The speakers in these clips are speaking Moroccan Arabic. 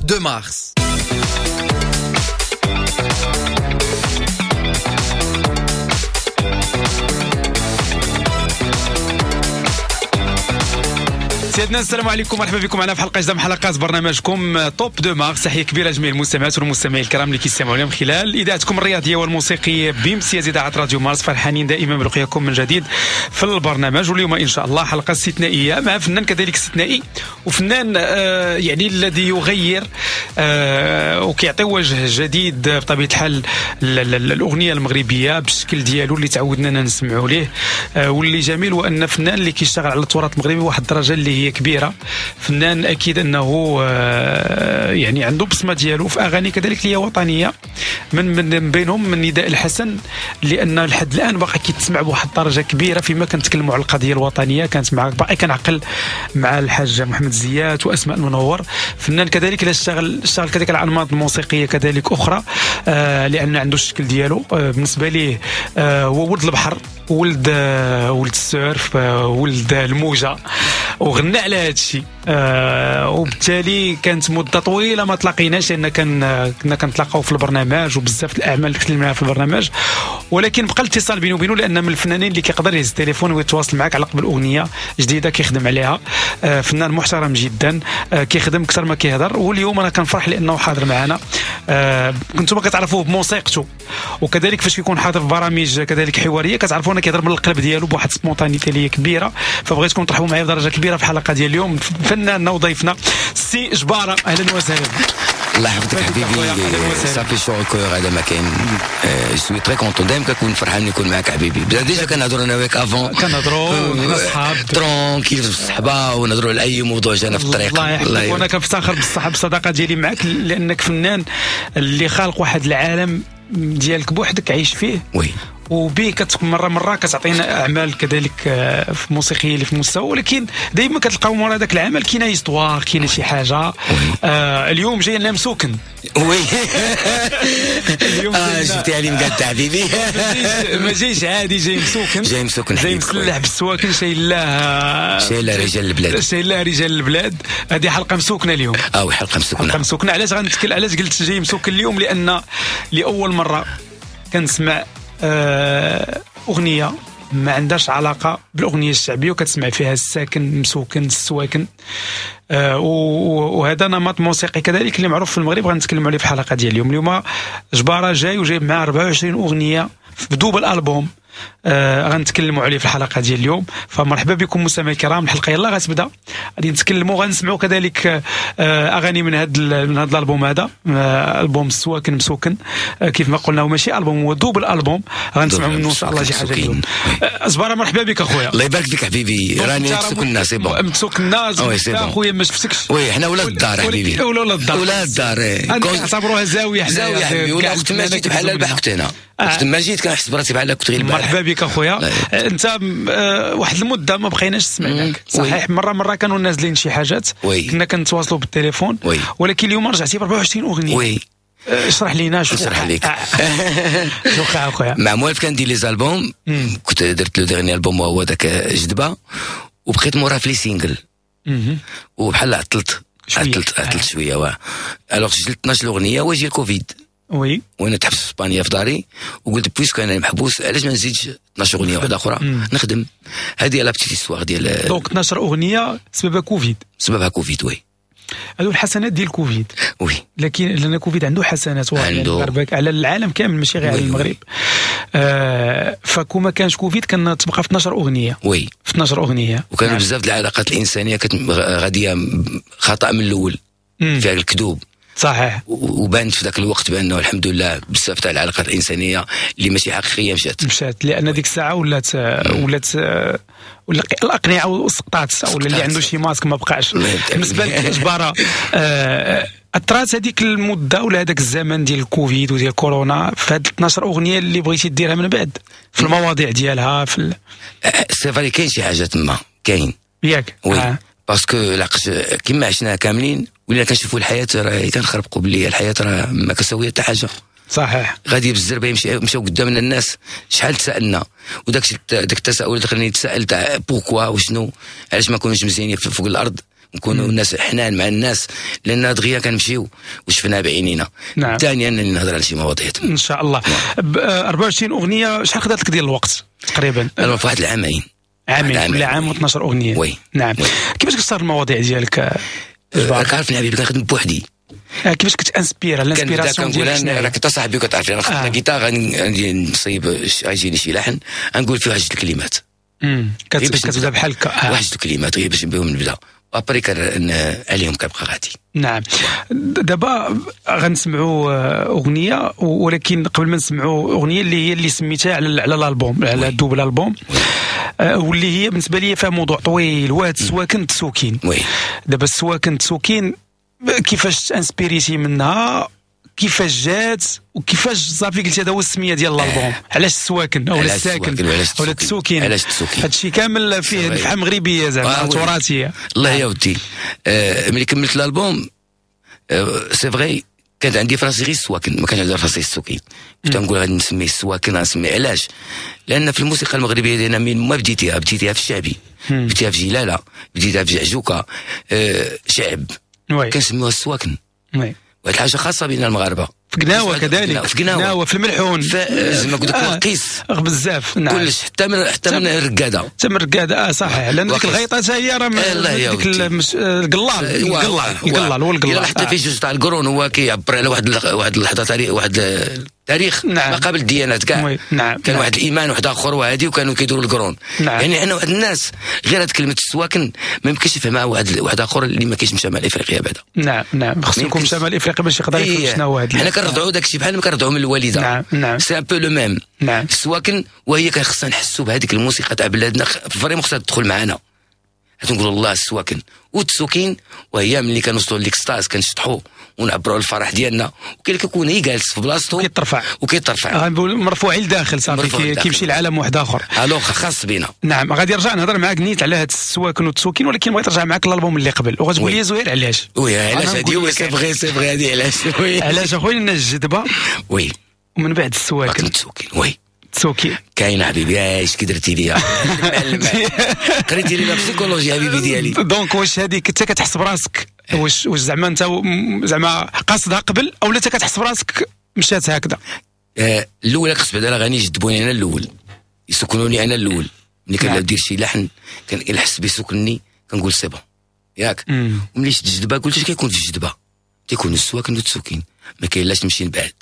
de Mars. سيدنا السلام عليكم، مرحبا بكم معنا في حلقة جديدة من حلقات برنامجكم Top de Mars. تحية كبيرة لجميع المستمعات والمستمعين الكرام اللي كيستمعوا لنا من خلال اذاعتكم الرياضية والموسيقيه بامتياز اذاعة راديو مارس. فرحانين دائما بلقياكم من جديد في البرنامج، واليوم ان شاء الله حلقة استثنائية مع فنان كذلك استثنائي، وفنان يعني الذي يغير وكيعطي وجه جديد بطبيعة الحال الاغنية المغربية بالشكل ديالو اللي تعودنا نسمعوا ليه. واللي جميل هو ان فنان اللي كيشتغل على التراث المغربي واحد الدرجة اللي هي كبيرة. فنان اكيد انه يعني عنده بصمة ديالو في اغاني كذلك اللي هي وطنية، من بينهم من نداء الحسن، لان لحد الان باقي كيتسمع بواحد الدرجة كبيرة فيما كنتكلموا على القضية الوطنية. كانت مع باقي كنعقل مع الحاج محمد زيات واسماء المنور. فنان كذلك اللي اشتغل كذلك على الانماط الموسيقية كذلك اخرى، لان عنده الشكل ديالو. بالنسبة ليه هو ولد البحر، ولد ال surf، ولد الموجه، وغنى على هذا الشيء. وبالتالي كانت مده طويلة ما تلاقيناش، لان كنا كنتلاقاو في البرنامج وبزاف الاعمال اللي تكلمنا في البرنامج، ولكن بقى الاتصال بينه وبينه، لان من الفنانين اللي كيقدر يهز التليفون ويتواصل معك على قبل اغنية جديدة كيخدم عليها. فنان محترم جدا، كيخدم اكثر ما كيهضر، واليوم انا كنفرح لانه حاضر معنا. كنتم كتعرفوه بموسيقته، وكذلك فاش كيكون حاضر في برامج كذلك حوارية كتعرفوا انه كيهضر من القلب ديالو بواحد spontanéité اللي كبيرة. فبغيتكم ترحبوا معايا بدرجة كبيرة في الحلقة ديال اليوم فناننا وضيفنا سي جبارة. اهلا وسهلا. الله يحفظك حبيبي، ça fait chaud au cœur. هذا ما كاين، je suis très content، دائما كنكون فرحان نكون معاك حبيبي. déjà كنهضروا انا وياك avant، كنهضروا حنا صحاب tranquille في الصحبة ونهضروا على اي موضوع جانا في الطريق. الله يحفظك، وانا كنفتخر بالصحة بالصداقه ديالي معاك، لانك فنان اللي خالق واحد العالم ديالك بوحدك عايش فيه، oui، وبيه مرة مرة كتعطينا اعمال كذلك في موسيقية اللي في المستوى، ولكن دائما كتلقاو مورا هذاك العمل كاينه histoire، كاينه شي حاجة. اليوم جاي لنا مسوكن، oui جبتي علي مقاد حبيبي، ما جايش عادي، جاي مسوكن، جاي مسوكن، جاي مسلح بالسواكن، شايلاه رجال البلاد، شايلاه رجال البلاد. هذه حلقة مسوكنه اليوم. حلقة مسوكنه، حلقة مسوكنه. علاش غنتكلم، علاش قلت جاي مسوكن اليوم؟ لان لاول مرة كنسمع أغنية ما عندهاش علاقة بالأغنية الشعبية وكتسمع فيها الساكن مسوكن السواكن، وهذا نمط موسيقي كذلك اللي معروف في المغرب، غنتكلموا عليه في الحلقة ديال اليوم. اليوم جبارة جاي وجايب معاه 24 أغنية في double album، غنتكلموا عليه في الحلقة ديال اليوم. فمرحبا بكم مستمعي الكرام، الحلقة يلا غتبدا، غادي نتكلموا غنسمعوا كذلك اغاني من هذا الالبوم هذا، البوم السواكن مسوكن. كيف ما قلنا هو ماشي البوم، هو double album، غنسمعوا منه ان شاء الله شي حاجة اليوم. جبارة مرحبا بك اخويا. الله يبارك فيك حبيبي، راني مسوكنا c'est bon، مسوكنا اخويا، ما شفتكش. oui حنا ولاد الدار حبيبي، ولاد الدار، ولاد الدار، نعتبروها زاوية، حنا زاوية حبيبي. ولا وقت ما جيت بحال البارح كنت هنا، وقت ما جيت كنحس براسي بحال كنت غير البارح. مرحبا بك اخويا. انت واحد المدة ما بقيناش سمعناك، صحيح مرة كانوا نازلين شي حاجات، كنا كنتواصلوا بالتليفون، ولكن اليوم رجعتي ب 24 اغنية. oui اشرح لينا شو اشرح لك شو وقع اخويا. مع موالف كندير les albums، كنت درت le dernier album وهو داك جدبه، وبقيت مورا في les singles، وبحال عطلت شوية. واه alors سجلت 12 اغنية وجي الكوفيد، oui، وانا تحبس في اسبانيا في داري، وقلت puisque انا محبوس علاش ما نزيدش 12 اغنية واحدة اخرى نخدم. هذه la petite histoire ديال donc 12 اغنية سببها كوفيد، سببها كوفيد. oui هادو الحسنات ديال كوفيد. oui لكن لان كوفيد عنده حسنات واعرة على العالم كامل ماشي غير على المغرب. فكون ما كانش كوفيد كان تبقى في 12 اغنية. oui في 12 اغنية، وكانوا بزاف العلاقات الانسانية كانت غادية خطا من الاول، فيها الكذوب. صحيح. وبانت في ذاك الوقت بانه الحمد لله بزاف تاع العلاقات الانسانية اللي ماشي حقيقية مشات، لان ديك الساعة ولات الاقنعة وسقطات، ولا اللي عنده شي ماسك ما بقاش. بالنسبة لك جبارة، اثرات هذيك المدة ولا هذاك الزمن ديال الكوفيد وديال كورونا في هاد 12 اغنية اللي بغيتي ديرها من بعد في المواضيع ديالها في c'est vrai كاين شي حاجة تما كاين، ياك؟ oui parce que لقاش كيما عشنا كاملين ولينا كنشوفوا الحياة راه كنخربقوا باللي الحياة راه ما كتساوي حتى حاجة. صحيح. غادي بالزربه مشاو قدامنا الناس، شحال تسالنا، وداك داك التساؤل اللي خلاني نتسائل تاع pourquoi وشنو، علاش ما كناش مزيانين فوق الارض، نكونوا الناس حنان مع الناس، لان دغيا كنمشيو وشفناها بعينينا. نعم. ثانيا انني نهضر على شي مواضيع ان شاء الله. 24 اغنية شحال خدات لك ديال الوقت تقريبا؟ انا في واحد العامين. عامين، كل عام و12 اغنية. oui. نعم. oui. كيفاش كتختار المواضيع ديالك؟ راك عارفني حبيبي كنخدم بوحدي. كيفاش كت inspire؟ l'inspiration ديالك؟ راك انت صاحبي وكتعرفني، انا خدمت جيتار غادي نصيب غيجيني شي لحن غنقول فيه واحد جوج الكلمات. كتبدا بحال هكا واحد جوج الكلمات غير باش بهم نبدا، après عليهم كنبقى غادي. نعم. دابا غنسمعوا اغنية، ولكن قبل ما نسمعوا اغنية اللي هي اللي سميتها على الالبوم، على ال double album، واللي هي بالنسبة لي فيها موضوع طويل، وهاد السواكن تسوكين. oui. دابا السواكن تسوكين كيفاش تانسبيريتي منها، كيفاش جات، وكيفاش صافي قلت هذا هو السمية ديال الالبوم؟ علاش السواكن او الساكن ولا التسوكين؟ علاش التسوكين؟ هادشي كامل فيه نفحة مغربية زعما تراثيه. الله يا ودي. ملي كملت الالبوم c'est vrai كانت عندي فراسي غير السواكن، ما كانش عندي فراسي السوكين. كنت نقول غادي نسميه السواكن، غنسميه علاش؟ لان في الموسيقى المغربية ديالنا من ما بديتيها في الشعبي، بديتيها في جلاله، بديتها في جعجوكه، شعب كنسميوها السواكن. oui. واحد الحاجة خاصة بين المغاربة في قناوه، كذلك في قناوه، في الملحون، زعما قلت لك القيس بزاف. نعم. كلش حتى من الرقاده، حتى من الرقاده. صحيح، لان ديك الغيطه حتى هي راه ديك القلال القلال هو القلال. حتى في جوج تاع القرون هو كيعبر على واحد اللحظة تاريخ، واحد التاريخ. نعم. ما قبل الديانات كاع. نعم. كان نعم. واحد الايمان واحد اخر وهادي، وكانوا كيديروا القرون. نعم. يعني عندنا واحد الناس غير هاد كلمة السواكن ما يمكنش يفهمها واحد اخر اللي ما كاينش من شمال افريقيا بعدا. نعم نعم، خصو يكون من شمال افريقيا باش يقدر يفهم شنو هو هاد. حنا كنرضعوا داك الشيء بحال ما كنرضعوا من الوالدة. نعم نعم، c'est un peu le même. نعم. السواكن وهي خصنا نحسوا بهذيك الموسيقى تاع بلادنا، vraiment خصها تدخل معنا. نقولوا الله السواكن والتسوكين، وهي ملي كنوصلوا l'extase كنشطحوا ونعبروا على الفرح ديالنا، وكاين اللي كيكون هي جالس في بلاصتو وكيترفع، غنقول مرفوع لداخل صافي، كيمشي لعالم واحد اخر. alors خاص بينا. نعم. غادي نرجع نهضر معاك نيت على هاد السواكن والتسوكين، ولكن بغيت نرجع معاك الالبوم اللي قبل، وغتقول لي زهير علاش. oui علاش هادي؟ oui c'est vrai c'est vrai هادي علاش. oui علاش اخويا؟ لان الجدبه oui ومن بعد السواكن التسوكين. oui تسوكي كاين حبيبي، اش كي درتي ليا؟ قريتي لي la psychologie حبيبي ديالي. donc واش هذيك انت كتحس براسك واش زعما انت زعما قاصدها قبل او لا انت كتحس براسك مشات هكذا؟ الاولى خص بعدا الاغاني يجذبوني انا الاول، يسكنوني انا الاول. ملي كندير شي لحن كنحس بيسكنني كنقول c'est bon ياك. وملي شفت الجذبه قلت اش كيكون في الجذبه؟ تيكون السواكن والتسوكين، ما كاين لاش نمشي نبعد،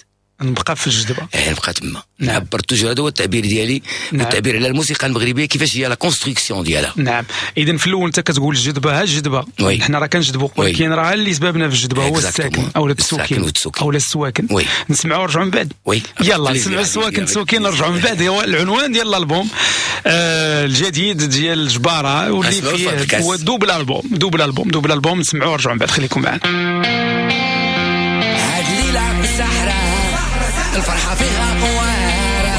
نبقى في الجذبه، نبقى تما. نعم. نعبر toujours، هذا هو التعبير ديالي. نعم. والتعبير على الموسيقى المغربية كيفاش هي la construction ديالها. نعم. اذا في الاول انت كتقول الجذبه، ها الجذبه حنا راه كنجذبوا، ولكن راه اللي سببنا في الجذبه هو الساكن او التسوكين او السواكن. نسمعوا ونرجعوا من بعد. oui. يلا نسمعوا السواكن التسوكين، نرجعوا من بعد. هو العنوان ديال الالبوم الجديد ديال الجبارة، واللي فيه هو double album، double album، double album. نسمعوا ونرجعوا من بعد، خليكم معنا. هاد الليلة السحرة الفرحة فيها قوارة،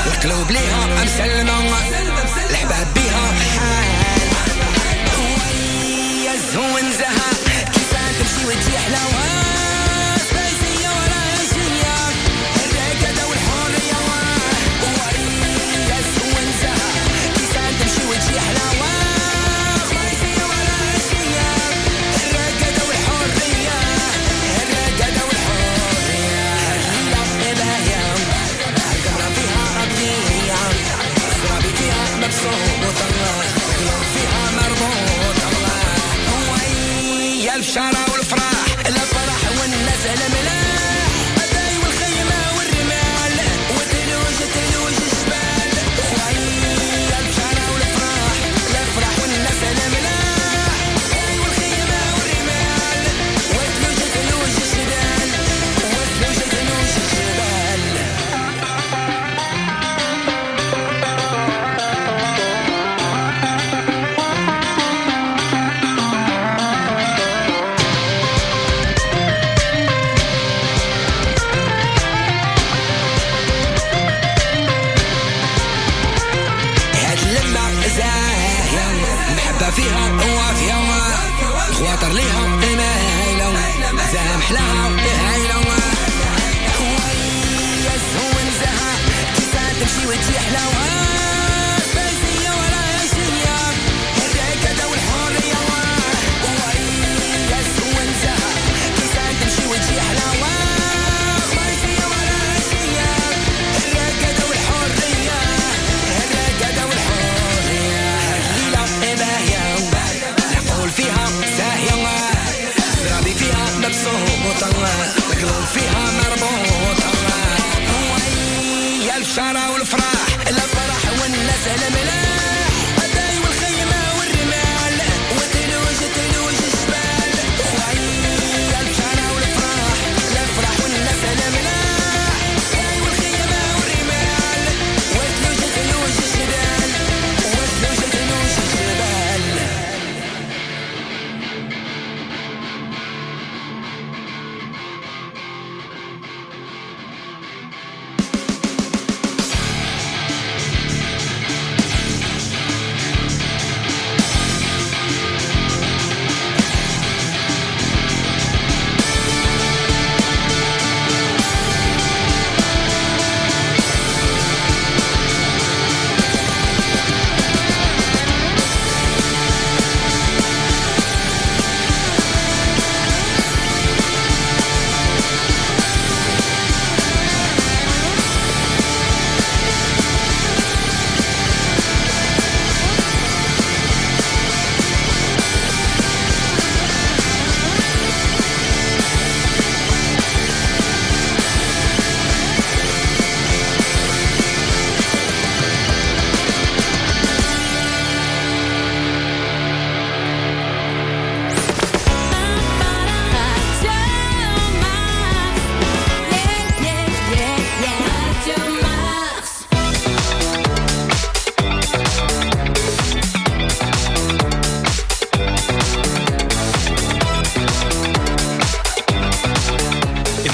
القلوب ليها مسلمة، الحباب بيها حال، ويا الزون زها كيف تمشي وتجي حلاوة، سبايسية ولا عشية، الركادة والحرية، ويا الزون زها كيف تمشي وتجي حلاوة، سبايسية ولا عشية، الركادة والحرية، الركادة والحرية. البشارة والفرح، الفرح والناس الملاح، الداي والخيمة والرمال، وثلوج ثلوج الجبال. ويا البشارة والفرح، الفرح والناس الملاح، الداي والخيمة والرمال، وثلوج ثلوج الجبال، وثلوج ثلوج الجبال. فيها وافية خواطر ليها مايلة، زام حلاها هايلة، ويا الزون زها كيف تمشي وتجي حلاوة، سبايسية ولا عشية، الركادة والحرية، ويا مربوطة، القلوب فيها مربوطة. ويا البشارة والفرح، الفرح والناس الملاح، الداي والخيمة والرمال، وتلوج تلوج الجبال. ويا البشارة والفرح، الفرح والناس الملاح، الداي والخيمة والرمال، وتلوج تلوج الجبال، وتلوج تلوج الجبال.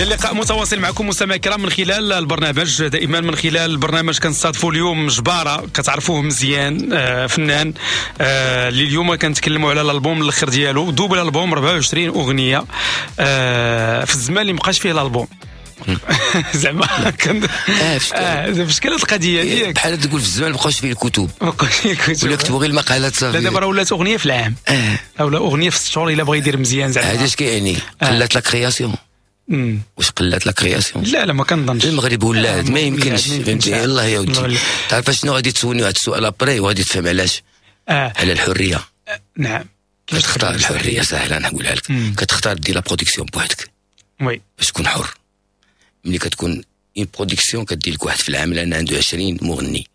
اللقاء متواصل معكم مستمعي الكرام من خلال البرنامج، دائما من خلال البرنامج كنستضيفوا اليوم جبارة كتعرفوه مزيان، فنان اللي اليوم كنتكلموا على الالبوم الاخر ديالو، double album 24 اغنية في الزمان اللي مابقاش فيه الالبوم. زعما كان في شكل القضية ديالك بحال تقول في الزمان مابقاوش فيه الكتب، مابقاوش فيه الكتب، ولا كتبوا غير المقالات صافي. لا دابا راه ولات اغنية في العام او اغنية في 6 شهور الا بغى يدير مزيان. زعما هذا اش كيعني؟ قلات la création. واش قلات la création؟ لا لا ما كنظنش. المغرب ولات ما يمكنش، فهمتي؟ يلاه يا ودي تعرف شنو غادي تسولني واحد السؤال après وغادي تفهم علاش. على الحرية. نعم، كتختار الحرية ساهله نقولها لك، كتختار دير la production بوحدك oui باش تكون حر. ملي كتكون une production كدير لك واحد في العام لان عنده 20 مغني.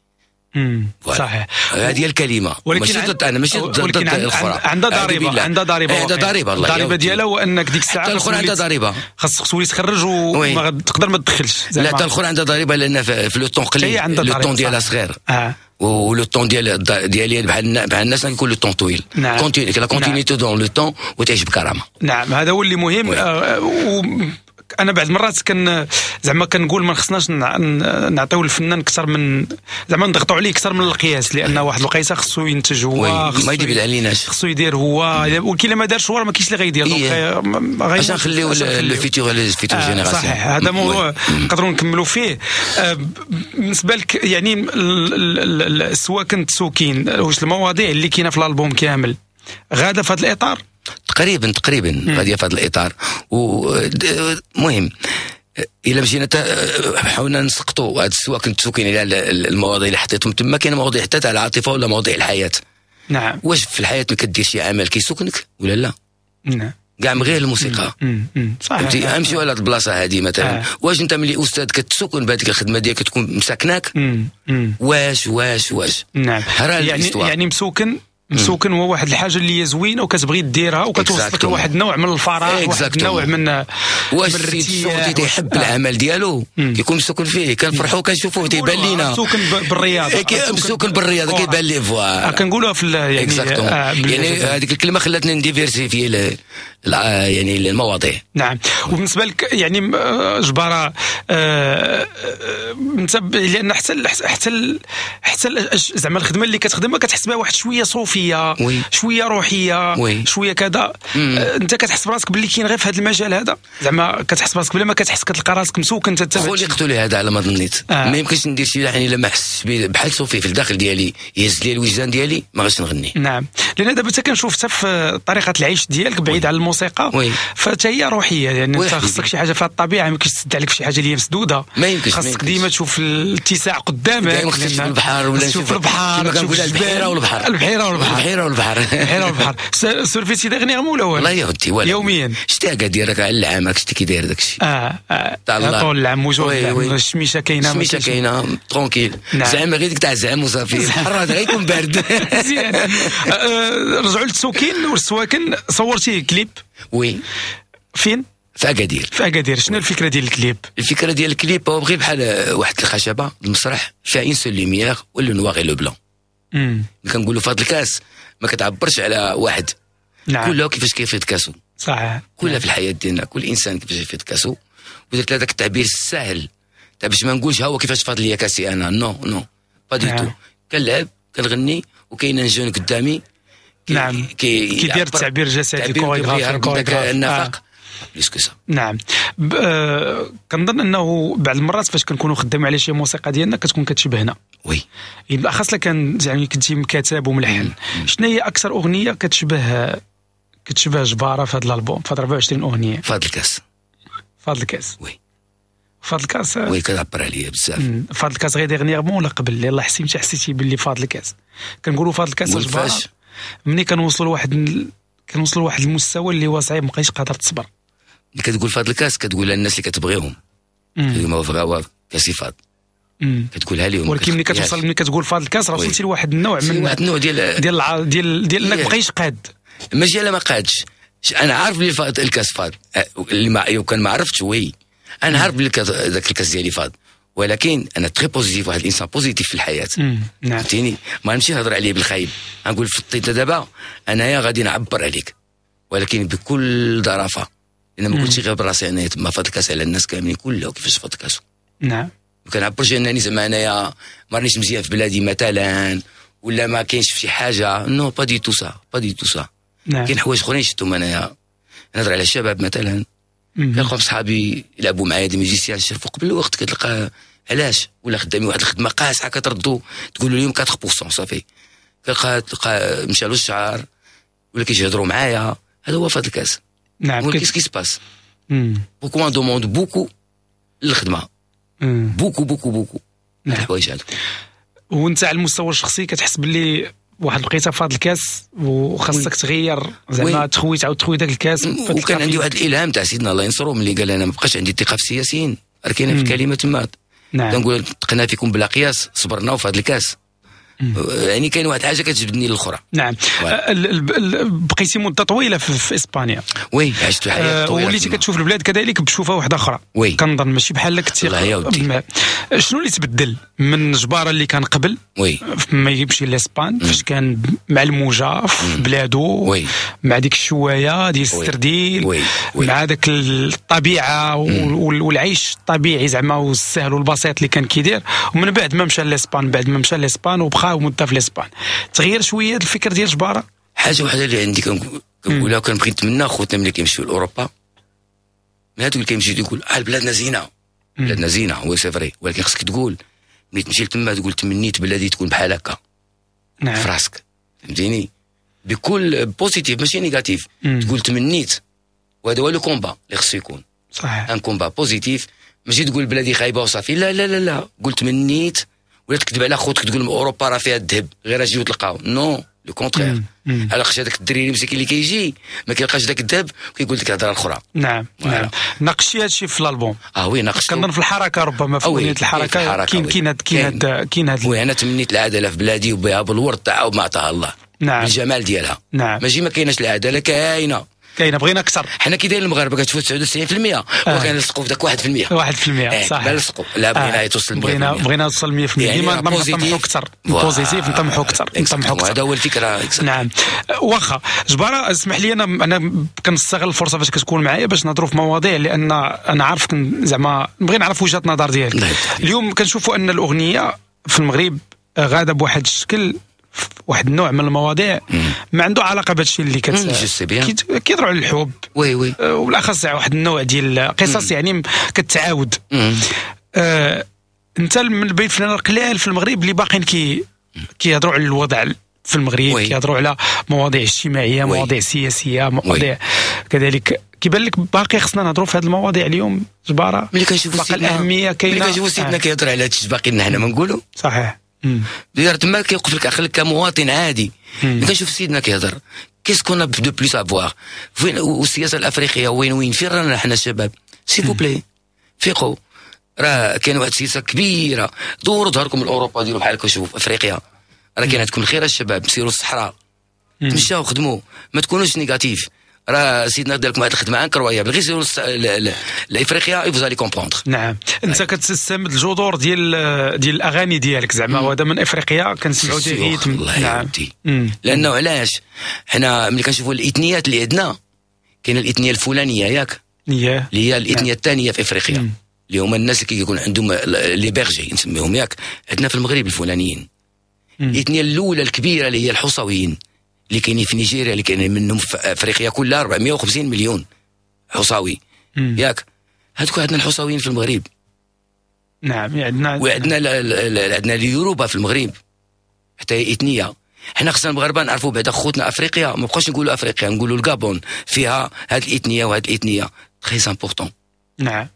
صحيح، هذه هي الكلمة. ماشي ضد انا، ماشي ضد الاخرى، عندها ضريبة، عندها ضريبة، عندها ضريبة. الضريبة ديالها هو انك ديك الساعة حتى الاخرى عندها ضريبة، خاصك تولي تخرج وما تقدر ما تدخلش. لا حتى الاخرى عندها ضريبة لان في le temps قليل، le temps ديالها صغير، و le temps ديالي بحال الناس كيكون le temps طويل، la continuité dans le temps وتعيش بكرامة. نعم، هذا هو اللي مهم. انا بعض المرات كان زعما كنقول ما خصناش نعطيو الفنان اكثر من زعما نضغطوا عليه اكثر من القياس، لان واحد الوقيته خصو ينتج هو، ما يدير عليناش، خصو يدير هو، ولكن ما دارش هو ما كاينش اللي غيدير. donc باش نخليو le futur les futures générations. صحيح، هذا موضوع نقدروا نكملوا فيه. بالنسبة لك يعني سواء كنت سوكين، واش المواضيع اللي كاينه في الالبوم كامل غاده في هذا الاطار؟ تقريبا غادية في هذا الاطار. ومهم الا مشينا حاولنا نسقطوا هاد السواء كنت سوكين على المواضيع اللي حطيتهم تما، كاين مواضيع حتى تاع العاطفة ولا مواضيع الحياة. نعم، واش في الحياة ما كدير شي عمل كيسكنك ولا لا؟ نعم، كاع من غير الموسيقى. صحيح، امشيو على هاد البلاصة هادي مثلا. واش انت ملي استاذ كتسكن بهذيك الخدمة ديالك كتكون مساكناك؟ واش واش واش نعم، يعني مسوكن هو واحد الحاجة اللي هي زوينة وكتبغي ديرها وكتوصلك لواحد النوع من الفراغ، واحد النوع من واش السيد تيحب العمل ديالو كيكون مسوكن فيه، كنفرحوا كنشوفوه تيبان لينا مسوكن بالرياضة، مسوكن بالرياضة كيبان ليه voilà كنقولوها في يعني يعني هذيك الكلمة خلاتني ن diversifier يعني المواضيع. نعم، وبالنسبة لك يعني جبارة انت لان حتى حتى حتى زعما الخدمة اللي كتخدمها كتحس بها واحد شوية صوفية، شوية روحية، شوية كذا. انت كتحس براسك باللي كاين غير في هذا المجال هذا، زعما كتحس براسك بلا ما كتحس كتلقى راسك مسوك انت. خلقت لهذا على ما ظنيت. ما يمكنش ندير شي لحن الا ما حسش بحال صوفي في الداخل ديالي يهز لي الوجدان ديالي ما غاديش نغني. نعم، لان دابا حتى كنشوف حتى في طريقه العيش ديالك بعيد على الموسيقى الموسيقى فحتى هي روحية، يعني انت خصك شي حاجة في الطبيعة، ما يمكنش تسد عليك في شي حاجة اللي هي مسدودة، ما يمكنش، خصك ديما تشوف الاتساع قدامك، دائما خصك تشوف البحر ولا تشوف البحر كما كنقول البحيرة والبحر، البحيرة والبحر، البحيرة والبحر، البحيرة والبحر. surfيتي dernièrement ولا والو؟ والله يا ودي والو، يوميا شتي اكادير راك على العام، راك شتي كي داير داك الشيء. طول العام موجود، الشميشه كاينه، الشميشه كاينه tranquille، زعما غير ديك تاع زعما وصافي، الحر هذا غيكون بارد. مزيان. رجعوا للتسوكين والسواكن، صورتي كليب؟ oui. فين؟ في اكادير. في اكادير. شنو الفكرة ديال الكليب؟ الفكرة ديال الكليب هو بغي بحال واحد الخشبة المسرح فيها une seule lumière و le noir et le blanc. كنقولوا فهاد الكاس ما كتعبرش على واحد. نعم. كله كيفاش كيفيض كاسو. صحيح. كلها في الحياة ديالنا كل انسان كيفاش يفيض كاسو، ودرت هذاك التعبير السهل تاع باش ما نقولش ها هو كيفاش فاض ليا كاسي انا، non non pas du tout. كنلعب كنغني وكاين un jeune قدامي. نعم. كيدير التعبير الجسدي، كوريغرافي، النفق plus que ça. نعم. كنظن انه بعض المرات فاش كنكونوا خدامين على شي موسيقى ديالنا كتكون كتشبهنا. oui. بالاخص كان يعني كنتي مكاتب وملحن. شنو هي اكثر اغنية كتشبه جبارة في هذا الالبوم، في 24 اغنية؟ فاض الكاس. فاض الكاس. oui. فاض الكاس. oui كتعبر عليا بزاف. فاض الكاس غير dernièrement ولا قبل؟ يلاه حسيتي باللي فاض الكاس؟ كنقولوا فاض الكاس جبارة ملي كنوصلوا لواحد المستوى اللي هو صعيب، ما بقيتش قادر تصبر. ملي كتقول فاض الكاس كتقول للناس اللي كتبغيهم، ما بغاو كاسي فاض، كتقولها لهم. ولكن ملي كتوصل، ملي كتقول فاض الكاس راه وصلتي لواحد النوع من واحد النوع ديال ديال ديال ديال انك بقيتش قاد. ماشي انا ما قادش، انا عارف بلي فاض الكاس فاض، اللي ما كان ما عرفتش. oui انا عارف بلي ذاك الكاس ديالي فاض، ولكن انا très positif، واحد الانسان positif في الحياة. نعم. فهمتيني؟ ما نمشي نهضر عليه بالخايب، نقول فطيت دابا انايا غادي نعبر عليك، ولكن بكل ظرافه، لان ما كنتش غير براسي انا تما فاض الكاس على الناس كاملين كلها كيفاش فاض الكاس. نعم. ما كنعبرش انني زعما انايا ما رانيش مزيان في بلادي مثلا، ولا ما كاينش في شي حاجة، non pas du tout ça، pas du tout ça. نعم. كاين حوايج اخرين شفتهم انايا، نهضر على الشباب مثلا، كنلقاهم صحابي يلعبوا معايا des musiciens شافوا قبل الوقت، كتلقى علاش ولا خدامي واحد الخدمة قاصحة كتردو تقولوا اليوم 4% صافي، كتلقى مشى له الشعر ولا كيجي معايا، هذا هو فاض الكاس. نعم. qu'est-ce qui se passe؟ beaucoup on demande beaucoup للخدمة، beaucoup beaucoup beaucoup الحوايج هادو. وانت على المستوى الشخصي كتحس باللي واحد الوقيته فاض الكاس وخاصك تغير زعما تخوي، تعاود تخوي داك الكاس. وكان عندي واحد الالهام تاع سيدنا الله ينصرو ملي قال انا ما بقاش عندي الثقة في السياسيين، راه كاينه في الكلمة تما. نعم. كنقول تقنا فيكم بلا قياس، صبرنا وفي هذا الكاس. يعني كاين واحد الحاجة كتجبدني للاخرى. نعم. بقيتي مده طويلة في اسبانيا. oui عشت حياة طويلة، وليتي كتشوف البلاد كذلك بشوفه واحدة اخرى. oui. كنظن ماشي بحال كنتي. شنو اللي تبدل من جبارة اللي كان قبل؟ oui. ما يمشي لاسبان فاش كان مع الموجه في بلادو. oui. مع ديك الشوايه ديال السرديل. oui. oui. مع داك الطبيعة والعيش الطبيعي زعما والسهل والبسيط اللي كان كيدير، ومن بعد ما مشى لاسبان، بعد ما مشى لاسبان وبقى مده في الاسبان، تغير شوية الفكر ديال جبارة. حاجة وحده اللي عندي كنقولها وكنبغي نتمنى خوتنا ملي كيمشيو لاوروبا، من هادوك اللي كيمشيو تيقول بلادنا زينة، بلادنا زينة، هو c'est vrai، ولكن خصك تقول ملي تمشي لتما تقول تمنيت بلادي تكون بحال هكا. نعم. في راسك، فهمتيني؟ بكل positif ماشي négatif، تقول تمنيت، وهذا هو le combat اللي خصو يكون. صحيح. un combat positif، ماشي تقول بلادي خايبة وصافي، لا لا لا لا، قول تمنيت، ولا تكذب على خوتك تقول اوروبا راه فيها الذهب غير اجي وتلقاو، non le contraire. علاش هذاك الدريري مسكين اللي كيجي ما كيلقاش داك الذهب وكيقول لك الهضرة الاخرى. نعم. نعم. ناقشتي هذا الشيء في الالبوم. oui ناقشت. كنظن في الحركة، ربما في اغنية الحركة كاين هاد. oui انا تمنيت العدالة في بلادي وبها بالورد تاعها وما عطاها الله. نعم. بالجمال ديالها. نعم. ماشي ما كايناش العدالة، كاينه كاينه، بغينا اكثر. حنا كي دايرين المغاربة كتفوت 99% وكنلصقوا في داك 1%. 1% صح. نلصقوا، لا بغينا توصل 100%، بغينا توصل 100%، ديما نطمحوا اكثر، positif نطمحوا اكثر، نطمحوا اكثر، هذا هو الفكرة. نعم. واخا جبارة اسمح لي، انا كنستغل الفرصة فاش كتكون معايا باش نهضروا في مواضيع، لان انا عارف زعما نبغي نعرف وجهه النظر ديالك. اليوم كنشوفوا ان الاغنية في المغرب غاده بواحد الشكل، واحد النوع من المواضيع ما عنده علاقة بهذا الشيء اللي كيهضروا على الحب. oui oui. وبالاخص واحد النوع ديال القصص يعني كتعاود. انت من بين الفنانين القلال في المغرب اللي باقيين كيهضروا على الوضع في المغرب، كيهضروا على مواضيع اجتماعية، مواضيع سياسية، مواضيع كذلك كيبان لك باقي خصنا نهضروا في هذه المواضيع اليوم جبارة؟ ملي كنشوفوا باقي الاهمية كاينه، ملي كنشوفوا سيدنا كيهضر على هادشي باقي لنا حنا ما نقولوا. صحيح. دير تما كيوقف لك عقلك كمواطن عادي. ملي كنشوف سيدنا كيهضر qu'est-ce qu'on a de plus à voir، فين والسياسة الافريقية وين فين رانا حنا الشباب؟ s'il vous plaît فيقوا، راه كاين واحد السياسة كبيرة. دوروا ظهركم لاوروبا، ديروا بحالكم، شوفوا افريقيا راه كاين عندكم الخير الشباب، سيروا الصحراء، تمشاو خدموا، ما تكونوش négatifs. راه سيدنا دار لكم واحد الخدمة incroyable، غير سيروا لافريقيا vous allez comprendre. نعم، انت كتستمد الجذور ديال الاغاني ديالك زعما، وهذا من افريقيا كنسمعوا des rythmes. نعم، لانه علاش حنا ملي كنشوفوا الاثنيات اللي عندنا، كاينه الاثنيه الفلانية ياك، اللي هي الاثنيه الثانية في افريقيا، اللي هما الناس اللي كيكون عندهم les bergers نسميهم ياك. عندنا في المغرب الفلانيين. الاثنيه الاولى الكبيرة اللي هي الحصويين اللي كاينين في نيجيريا، اللي كاينين منهم في افريقيا كلها 450 مليون حصاوي ياك. هذوك عندنا الحصاويين في المغرب. نعم، عندنا، وعندنا عندنا اليوروبا في المغرب حتى هي اثنيه. حنا خصنا المغاربة نعرفوا بعدا خوتنا افريقيا، ما بقاوش نقولوا افريقيا، نقولوا الكابون فيها هاد الاثنيه وهاد الاثنيه، très important. نعم.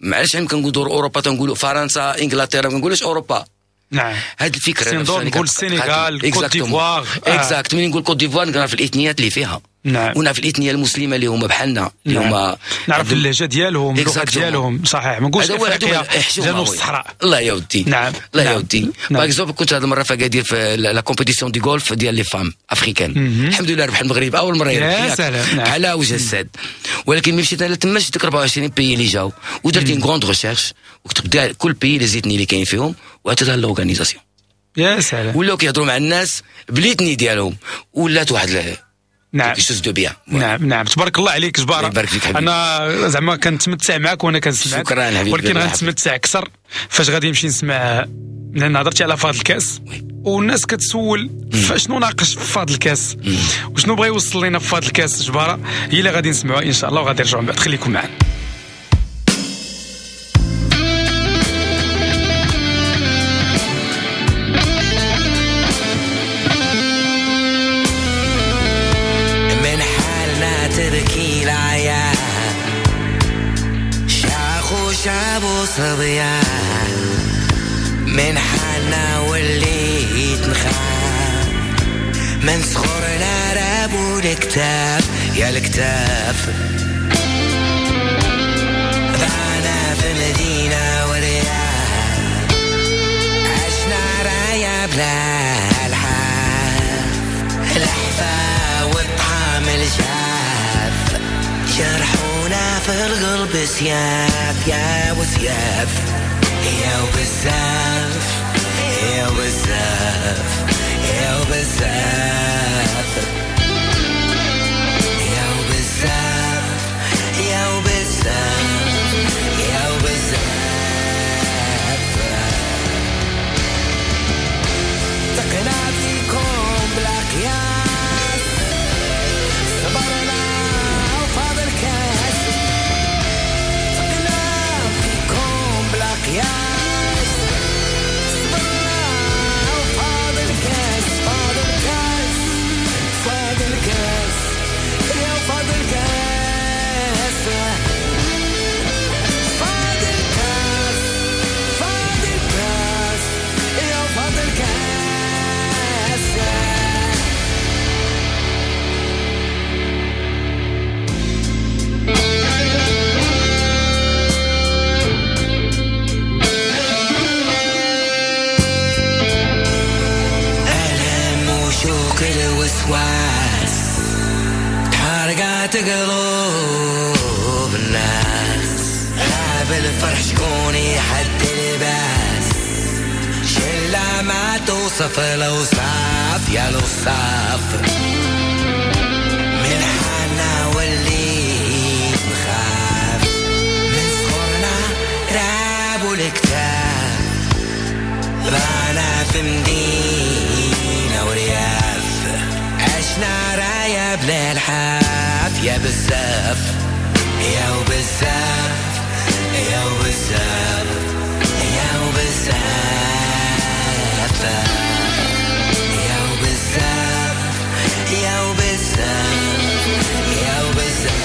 معليش عم كنقولوا دور اوروبا تنقولوا فرنسا انجلترا، ما نقولوش اوروبا. نعم، هاد الفكرة نقول السنغال، كوت ديفوار. exact، ملي نقول كوت ديفوار نعرف الاثنيات اللي فيها. نعم، ونعرف الاثنيه المسلمة اللي هما بحالنا، اللي هما نعرف اللهجة ديالهم، اللغة ديالهم. صحيح، ما نقولش افريقيا جنوب الصحراء. الله يا ودي. نعم، الله يا ودي. par exemple كنت هذه المرة في اكادير في la compétition de golf ديال les femmes africaines. الحمد لله ربح المغرب اول مرة يربح. يا سلام. على وجه السعد. ولكن ملي مشيت انا تما شفت 24 pays اللي جاو، ودرت une grande recherche وكتبت كل pays les ethnies اللي كاين فيهم وعطيتها l'organisation. يا سلام. ولاو كيهضروا مع الناس ب l'ethnie ديالهم، ولات واحد. نعم. نعم نعم، تبارك الله عليك جبارة. يبارك فيك حبيبي. انا زعما كنتمتع معك وانا كنسمعك. شكرا حبيبي. ولكن غنتمتع اكثر فاش غادي نمشي نسمع، لان هضرتي على فاض الكاس والناس كتسول فشنو ناقش في فاض الكاس وشنو بغى يوصل لنا في فاض الكاس جبارة، هي اللي غادي نسمعوها ان شاء الله وغادي نرجعوا من بعد. خليكم معنا. صبيان من حالنا وليت نخاف، من صغرنا راب والكتاب يا الكتاب، ضعنا في مدينة ورياض، عشنا رايا بلا الحاف، الحفا والطعام الجاف، جرحونا في القلب سياف يا وسياف، يا وبزاف يا وبزاف يا وبزاف يا وبزاف يا وبزاف يا وبزاف. تقنا فيكم بلا قياس، صبرنا وفاضل كاس، تقنا فيكم بلا قياس، صبرنا وفاضل كاس، فاضل كاس، فاضل كاس، يا فاضل كاس، فاضل كاس، فاضل كاس، يا فاضل كاس. الوسواس تحرقات قلوب الناس، غاب الفرح شكون يحد الباس، شلة ما توصف الأوصاف يا الأوصاف، من حالنا وليت نخاف، من صغرنا راب والكتاب، ضعنا في مدينة ورياف، عشنا رايا بلا الحاف، يا بزاف يا وبزاف يا وبزاف يا وبزاف يا وبزاف يا وبزاف يا وبزاف.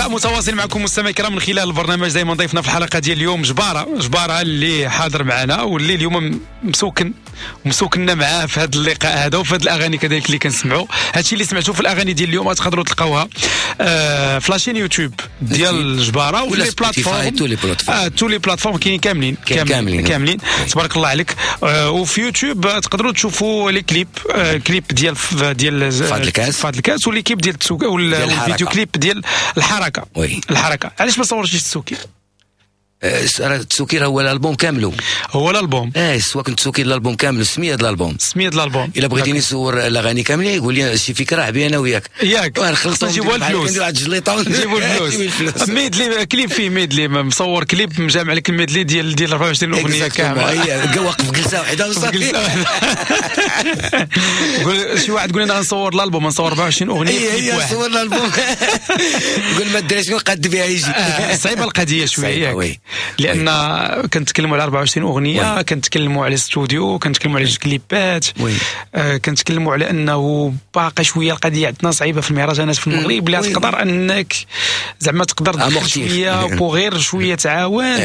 لقاء متواصل معكم مستمعي الكرام من خلال البرنامج. دائما ضيفنا في الحلقة ديال اليوم جبارة اللي حاضر معنا واللي اليوم مسوكننا معاه في هذا اللقاء هذا وفي هذه الاغاني كذلك اللي كنسمعوا. هادشي اللي سمعتوه في الاغاني ديال اليوم تقدروا تلقاوها في la chaîne YouTube ديال جبارة وفي les plateformes، tous les plateformes كاينين كاملين كاملين تبارك الله عليك. وفي يوتيوب تقدروا تشوفوا les clips، clip ديال فاض الكاس و les clips ديال التسوكي وال vidéo clip ديال الحركة. oui. الحركة علاش ما صورتيش التسوكي؟ التسوكي راه هو الالبوم كاملو، هو الالبوم سواء كنت تسوكي الالبوم كامل، سميه الالبوم، سميه الالبوم. الا بغيتيني نصور الاغاني كاملين يقول لي شي فكرة عبي انا وياك، ياك نخلصوا نجيبوا الفلوس، نجيبوا الفلوس. medley clip فيه medley مصور كليب مجمع لك ال medley ديال 24 اغنية كاملة، واقف جلسه واحدة وصافي. شي واحد قول لنا غنصور الالبوم، نصور 24 اغنية في واحد، صور الالبوم قول ما الدراري شكون قاد بها يجي. صعيبة القضية شوية ياك، لان كنتكلموا على 24 اغنية، كنتكلموا على استوديو، كنتكلموا على كليبات، كنتكلموا على انه باقي شوية القضية عندنا صعيبة في المهرجانات في المغرب. لا تقدر انك زعما تقدر شوية بوغير شوية تعاون.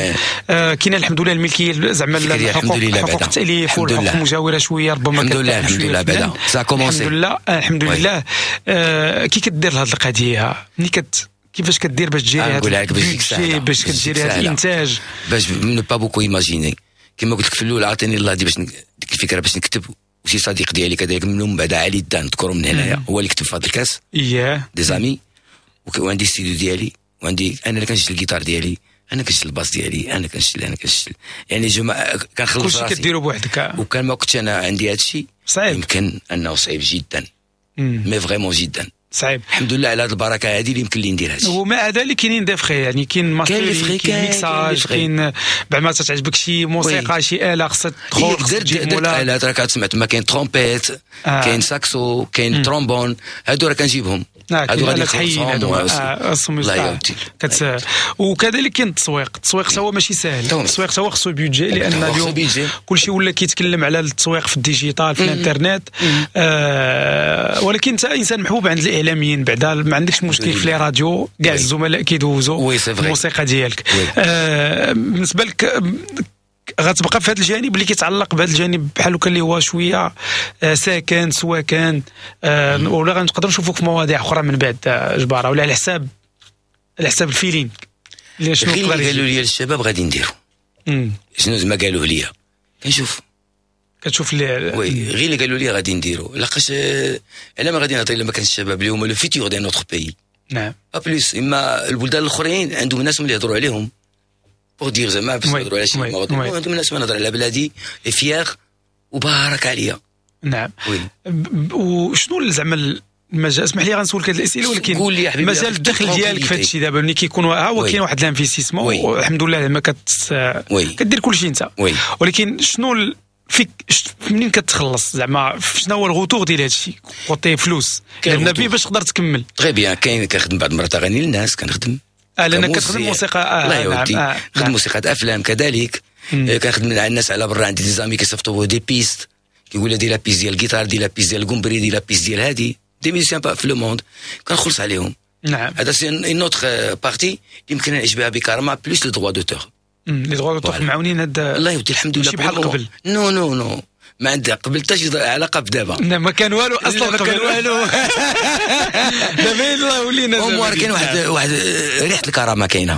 كاين الحمد لله الملكية زعما الحقوق التاليف والحقوق المجاورة شوية ربما الحمد لله، الحمد لله بعدا ça commence، الحمد لله الحمد لله. كي كدير لهاد القضية ملي كيفاش كدير باش تجيري هذا باش كديري هذا الانتاج باش ne pas beaucoup imaginer؟ كما قلت لك في الاول عطيني الله دي باش ديك الفكرة باش نكتب، وشي صديق ديالي كذلك من بعد علي الدان نذكره من هنايا هو اللي كتب في هذا الكاس des amis، وعندي ستوديو ديالي، وعندي انا اللي كنشد الجيتار ديالي، انا كنشد ال basse ديالي، انا كنشد يعني je كنخلص راسي، كلشي كديرو بوحدك. وكان ما كنتش انا عندي هذا الشيء يمكن انه صعيب جدا، mais vraiment جدا صعيب. الحمد لله على هذه البركة هذه اللي يمكن لي ندير هادشي. ومع ذلك كاينين des frais، يعني كاين mastering، كاين ميكساج، كاين بعد ما تعجبك شي موسيقى شي اله خصها تدخل، خصها تجيب مولا الات. راك سمعت ما كاين ترومبيت، كاين ساكسو، كاين ترومبون، هادو راه كنجيبهم، هادو غادي نخلصهم. الله يودي. وكذلك كاين التسويق، التسويق تا هو ماشي ساهل، التسويق تا هو خصو budget، لان اليوم كلشي ولا كيتكلم على التسويق في ال digital في الانترنت. ولكن انت انسان محبوب عند الاعلاميين بعدا، ما عندكش مشكل في les radios، كاع الزملاء كيدوزوا الموسيقى ديالك. بالنسبة لك غتبقى في هذا الجانب اللي كيتعلق بهذا الجانب بحال هكا اللي هو شوية ساكن سوا كان، ولا غنقدروا نشوفوك في مواضيع اخرى من بعد جبارة، ولا على حساب ال feeling اللي شنو قالوا لي الشباب غادي نديرو شنو زعما قالوه لي كنشوف كتشوف لي oui غير اللي قالوا لي غادي نديرو، لاقاش انا ما غادي نعطي الا ما كان الشباب اللي هما le futur ديال notre pays. نعم pas plus. اما البلدان الاخرين عندهم ناس اللي يهضروا عليهم pour dire زعما باش يهضروا على شي مواضيع، عندهم ناس ما نهضر على بلادي fier وبارك عليا. نعم وشنو زعما المجال، اسمح لي غنسولك هذه الاسئلة، ولكن مجال الدخل ديالك في هذا الشيء دابا ملي كيكون ها هو كاين واحد l'investissement والحمد لله زعما كدير كلشي انت، ولكن شنو فيك منين كتخلص زعما شنو هو ال retour ديال هذا الشيء côté فلوس لان باش تقدر تكمل؟ très bien. كاين كنخدم بعض المرات اغاني للناس، كنخدم لان كتخدم موسيقى الله يودي، نخدم موسيقى افلام كذلك، كنخدم مع الناس على برا، عندي des amis كيصيفطوا des pistes، كيقول لي دير la piste ديال الجيتار، دير la piste ديال الكومبري، دير la piste ديال هادي، des musiciens في le monde كنخلص عليهم. نعم هذا c'est une autre partie يمكن نعيش بها بكرامة plus les droits d'auteur. les droits d'auteur معاونين هاد الله يودي الحمد لله. ماشي بحال قبل. non non non ما عندها قبل حتى شي علاقة بدابا. لا ما كان والو اصلا، ما كان والو. دابا يلاه ولينا au moins كاين واحد ريحه الكرامة كاينه.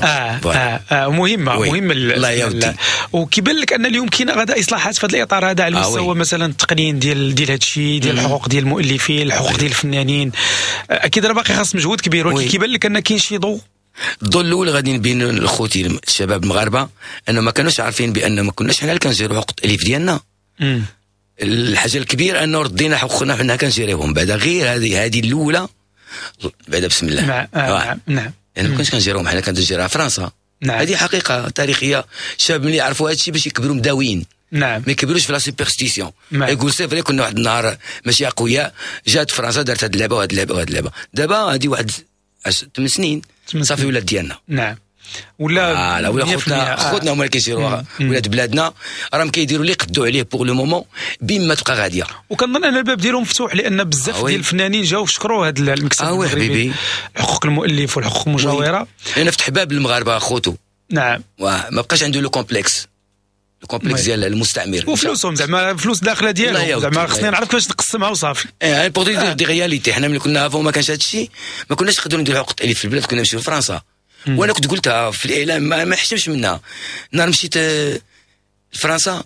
مهمة مهمة الله يودي. وكيبان لك ان اليوم كاين غدا اصلاحات في هذا الاطار هذا على المستوى مثلا التقنين ديال هذا الشيء، ديال الحقوق ديال المؤلفين، الحقوق ديال الفنانين، اكيد راه باقي خاص مجهود كبير، ولكن كيبان لك ان كاين شي ضوء. الضوء الاول غادي نبين لخوتي الشباب المغاربة انه ما كانوش عارفين بان ما كناش حنا اللي كنجيرو حقوق التاليف ديالنا. الحاجة الكبيرة انه ردينا حقوقنا حنا كنجيريوهم بعدا، غير هذه الاولى بعدا بسم الله. نعم نعم يعني ما كناش كنجيروهم حنا، كنجيرها فرنسا. نعم. هذه حقيقة تاريخية. الشباب ملي يعرفوا هذا الشيء باش يكبروا مداويين. نعم. ما يكبروش في la superstition. يقول c'est vrai كنا واحد النهار ماشي اقوياء، جات فرنسا دارت هذه اللعبة وهذه اللعبة وهذه اللعبة. دابا هذه واحد 8 سنين صافي ولات ديالنا. نعم. ولا لا، ولا خوتنا، خوتنا هما اللي كيشيروها، ولاد بلادنا راهم كيديروا اللي قدوا عليه pour le moment بما تبقى غادية. وكنظن ان الباب ديالهم مفتوح، لان بزاف ديال الفنانين جاو شكروا هذا المكتب المغربي حقوق المؤلف والحقوق المجاورة، لان فتح باب للمغاربة خوتو. نعم، ما بقاش عنده le complexe، ال complexe ديال المستعمر وفلوسهم، زعما فلوس داخله ديالهم، زعما خصني نعرف كيفاش نقسمها وصافي. ايه pour des réalités، حنا ملي كنا avant ما كانش هذا الشيء، ما كناش نقدروا نديروا حقوق التاليف في البلاد، كنا نمشيو لفرنسا. وانا كنت قلتها في الاعلام، ما حشمش منها. نهار مشيت لفرنسا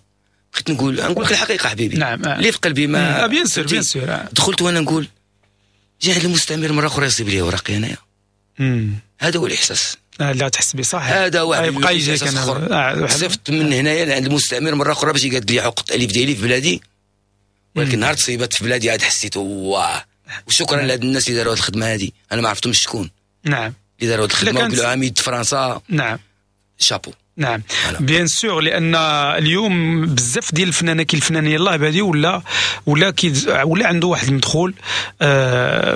بغيت نقول لك الحقيقة حبيبي. نعم. اللي في قلبي ما bien sûr، bien sûr. دخلت وانا نقول جا عند المستعمر مرة اخرى يصيب لي اوراقي انايا. هذا هو الاحساس. لا تحس به صح، هذا هو يبقى يجيك. انا صيفط من هنايا لعند المستعمر مرة اخرى باش يقاد لي حقوق التاليف ديالي في بلادي، ولكن نهار تصيبات في بلادي عاد حسيت واه. وشكرا لهاد الناس اللي داروا هاد الخدمة هذه، انا ما عرفتهمش شكون. نعم، اللي داروا هاد الخدمة وقالوا عميد فرنسا. نعم، شابو. نعم، bien sûr، لان اليوم بزاف ديال الفنانة كي الفنان يلاه بادي ولا عنده واحد المدخول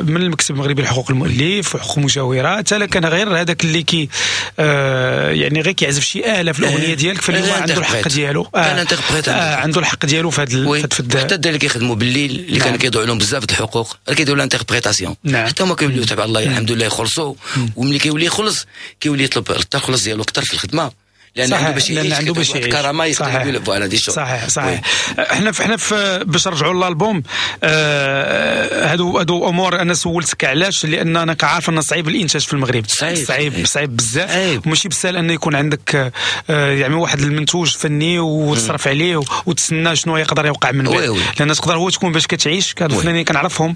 من المكتب المغربي لحقوق المؤلف وحقوق المجاورات، حتى كان غير هذاك اللي كي يعني غير كيعزف شي اله في الاغنية ديالك، فاليوم عنده الحق ديالو، عنده الحق ديالو في هذا. حتى الدراري اللي كيخدموا بالليل اللي كانوا كيضيعوا لهم بزاف د الحقوق، راه كيديروا l'interprétation. حتى هما كيوليو تبع الله الحمد لله يخلصوا، وملي كيولي يخلص كيولي يطلب التخلص ديالو اكثر في الخدمة، لان عنده باش يعيش، عنده باش يعيش كرامة، يقدر يقول voilà des choses. صحيح صحيح. احنا في باش نرجعوا للالبوم، هادو امور انا سولتك علاش، لان انا كعارف ان صعيب الانتاج في المغرب، صعيب صعيب بزاف، وماشي بسهل ان يكون عندك يعني واحد المنتوج فني وتصرف عليه وتسنى شنو يقدر يوقع من بعد، لان تقدر هو تكون باش كتعيش. هادو الفنانين كنعرفهم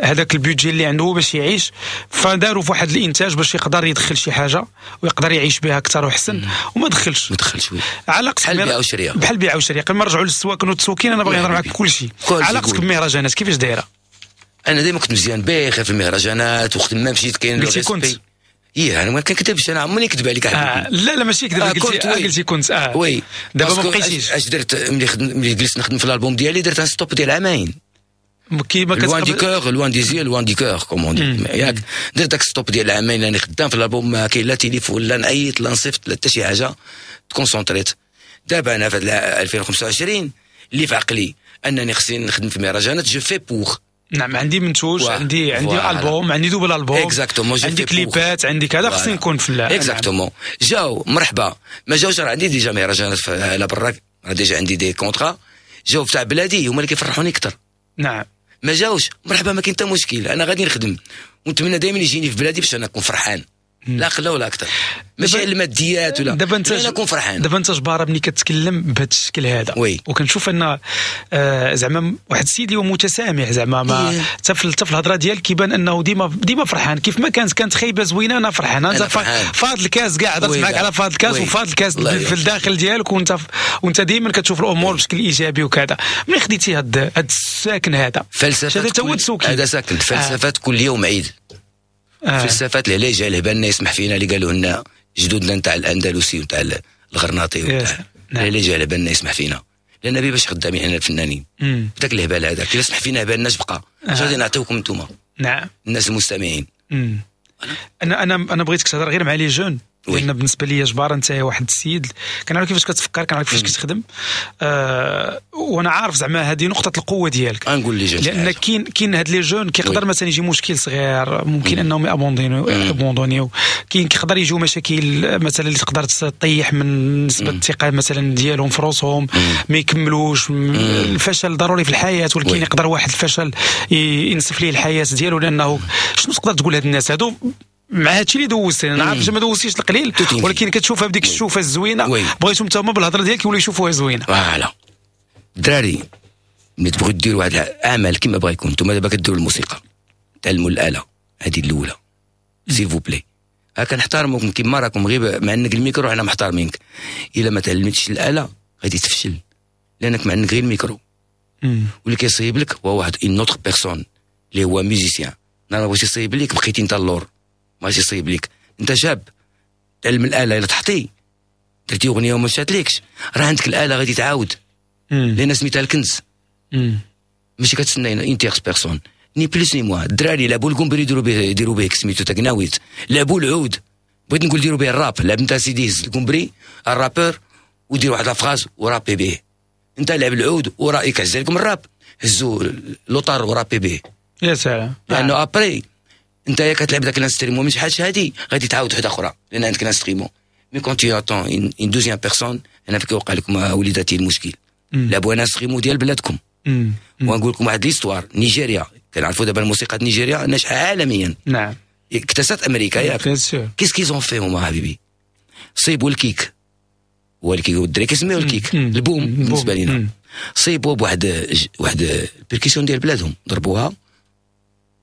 هذاك ال budget اللي عنده باش يعيش، فداروا في واحد الانتاج باش يقدر يدخل شي حاجة ويقدر يعيش بها اكثر وحسن، وما دخلش ما دخلش. علاقتك بحال بيع وشريه، بحال بيع وشريه. قبل ما نرجعوا للسواكن والتسوكين انا باغي نهضر معاك كل شيء. علاقتك بالمهرجانات كيفاش دايرة؟ انا دائما كنت مزيان بخير في المهرجانات، وقت ما مشيت كاين قلتي كنت ايه، انا ما كنكذبش، انا عمرني نكذب عليك حبيبي. لا لا ماشي كذب، قلتي كنت oui. دابا ما بقيتيش. اش درت ملي جلست نخدم في الالبوم ديالي، درت un stop ديال عامين، كيما loin du cœur، loin des yeux، loin du cœur comme on dit، ياك. درت داك stop ديال العامين راني خدام في الالبوم، ما كاين لا تليفون لا نعيط لا نصيفط لا حتى شي حاجة، تكونسونطريت. دابا انا في 2025 اللي في عقلي انني خصني نخدم في مهرجانات، je fais pour. نعم، عندي منتوج، عندي البوم، عندي double album، عندي كليبات، عندي كذا، خصني نكون في exactement. جاو مرحبا، ما جاوش راه عندي déjà مهرجانات على برا، راه déjà عندي des contrats. جاو تاع بلادي هما اللي كيفرحوني اكثر. نعم، ما جاوش مرحبا، ما كاين حتى مشكل، انا غادي نخدم ونتمنى دائما يجيني في بلادي باش انا نكون فرحان، لا خلا ولا اكثر، ماشي على الماديات ولا. دابا انت انا نكون فرحان. دابا انت جبارة ملي كتكلم بهذا الشكل هذا، وكنشوف ان زعما واحد السيد اللي هو متسامح، زعما ما حتى في الهضرة ديالك كيبان انه ديما فرحان، كيف ما كانت خايبة زوينة انا فرحان. انت فاض الكاس كاع هضرت معاك على فاض الكاس، وفاض الكاس في الداخل ديالك، وانت ديما كتشوف الامور بشكل ايجابي وكذا. ملي خديتي هذا الساكن هذا فلسفة، هذا ساكن فلسفة كل يوم عيد. فلسفات العلاج على بالنا يسمح فينا اللي قالوا لنا جدودنا نتاع الاندلسي ونتاع الغرناطي ونتاع العلاج على بالنا يسمح فينا، لان باش خدامين حنا الفنانين داك الهبال هذاك الا سمح فينا بالنا بقى اش غادي نعطيوكم انتوما؟ نعم، الناس المستمعين. انا بغيتك تهضر غير مع les jeunes، لان بالنسبة لي جبار انت واحد السيد كنعرف كيفاش كتفكر، كنعرف كيفاش كتخدم، وانا عارف زعما هذه نقطة القوة ديالك. نقول les jeunes، لان كاين هاد les jeunes كيقدر مثلا يجي مشكل صغير ممكن انهم ابوندونيو، كاين كيقدر يجيو مشاكل مثلا اللي تقدر تطيح من نسبه الثقة مثلا ديالهم في روسهم، ما يكملوش. الفشل ضروري في الحياة، ولكن يقدر واحد الفشل ينسف ليه الحياة ديالو. لانه شنو تقدر تقول هاد الناس هادو مع هادشي اللي دوزتي؟ انا عارف ما دوزتيش القليل، ولكن كتشوفها بديك الشوفه الزوينة، بغيتهم حتى هما بالهضره ديالك يوليو يشوفوها زوينة. voilà الدراري ملي تبغيو ديروا واحد العمل كيما بغا يكون، نتوما دابا كديروا الموسيقى، تعلموا الاله هذه الاولى s'il vous plaît. ها كنحترموكم كيما راكم، غير مع انك الميكرو حنا محترمينك. الا ما تعلمتش الاله غادي تفشل، لانك مع انك غير الميكرو، واللي كيصيب لك هو واحد une autre personne اللي هو musicien. انا بغيت يصيب لك بقيتي انت اللور، ماشي يصيب لك. انت شاب تعلم الاله، الا تحطي درتي اغنية وما مشاتلكش راه عندك الاله غادي تعاود، لان سميتها الكنز. ماشي كتسنى une tierce personne ni plus ni moins. الدراري لعبوا الكومبري يديروا به سميتو تاكناويت، لعبوا العود، بغيت نقول ديروا به الراب، لعب انت سيدي هز الكمبري ال rappeur ودير واحد la phrase ورابي به. انت لعب العود ورايك عز لكم الراب، هزوا لوطار ورابي به. يا سلام. لانه après انت يا كتلعب ذاك ال instrument من شحال هادي غادي تعاود وحده اخرى لان عندك ال instrument. mais quand tu entends une deuxième personne، انا فين كيوقع لكم وليداتي المشكل. لعبوا un instrument ديال بلادكم. ونقول لكم واحد l'histoire، نيجيريا كنعرفوا دابا الموسيقى نيجيريا ناجحة عالميا. نعم. اكتسات امريكا ياك. qu'est-ce qu'ils ont fait هما حبيبي؟ صيبوا ال kick، هو ال kick الدراري كيسميوه ال kick، ال boom بالنسبة لنا. صيبوا بواحد واحد ال percussion ديال بلادهم، ضربوها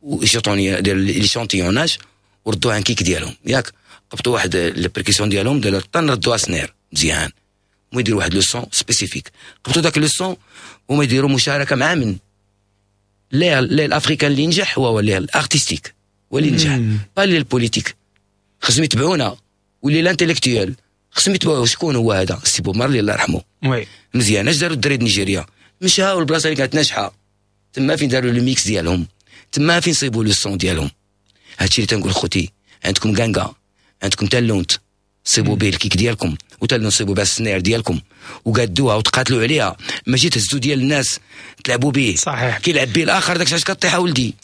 وشيطونيه ديال l'échantillonnage وردوها un kick ديالهم ياك. قبطوا واحد ال percussion ديالهم ديال الطن ردوها snare مزيان، هما يديروا واحد le son spécifique. قبطوا داك le son هما يديروا مشاركة مع من l'aile ال africain اللي نجح هو l'aile artistique هو اللي نجح، pas l'aile politique. خصهم يتبعونا، و l'aile intellectuelle خصهم يتبعوا. شكون هو هذا؟ سي بوب مارلي الله يرحمه. oui مزيان. اش داروا الدراري نيجيريا؟ مشاو البلاصة اللي كانت ناجحة تما فين داروا le mix ديالهم، تما فين صيبوا le son ديالهم. هادشي اللي تنقول خوتي، عندكم كانكا، عندكم تالونت، صيبوا به ال kick ديالكم، وتالونت صيبوا به ال snare ديالكم، وقادوها وتقاتلوا عليها، ماشي تهزوا ديال الناس تلعبوا به. صحيح. كيلعب به الاخر داك الشيء كطيح ولدي.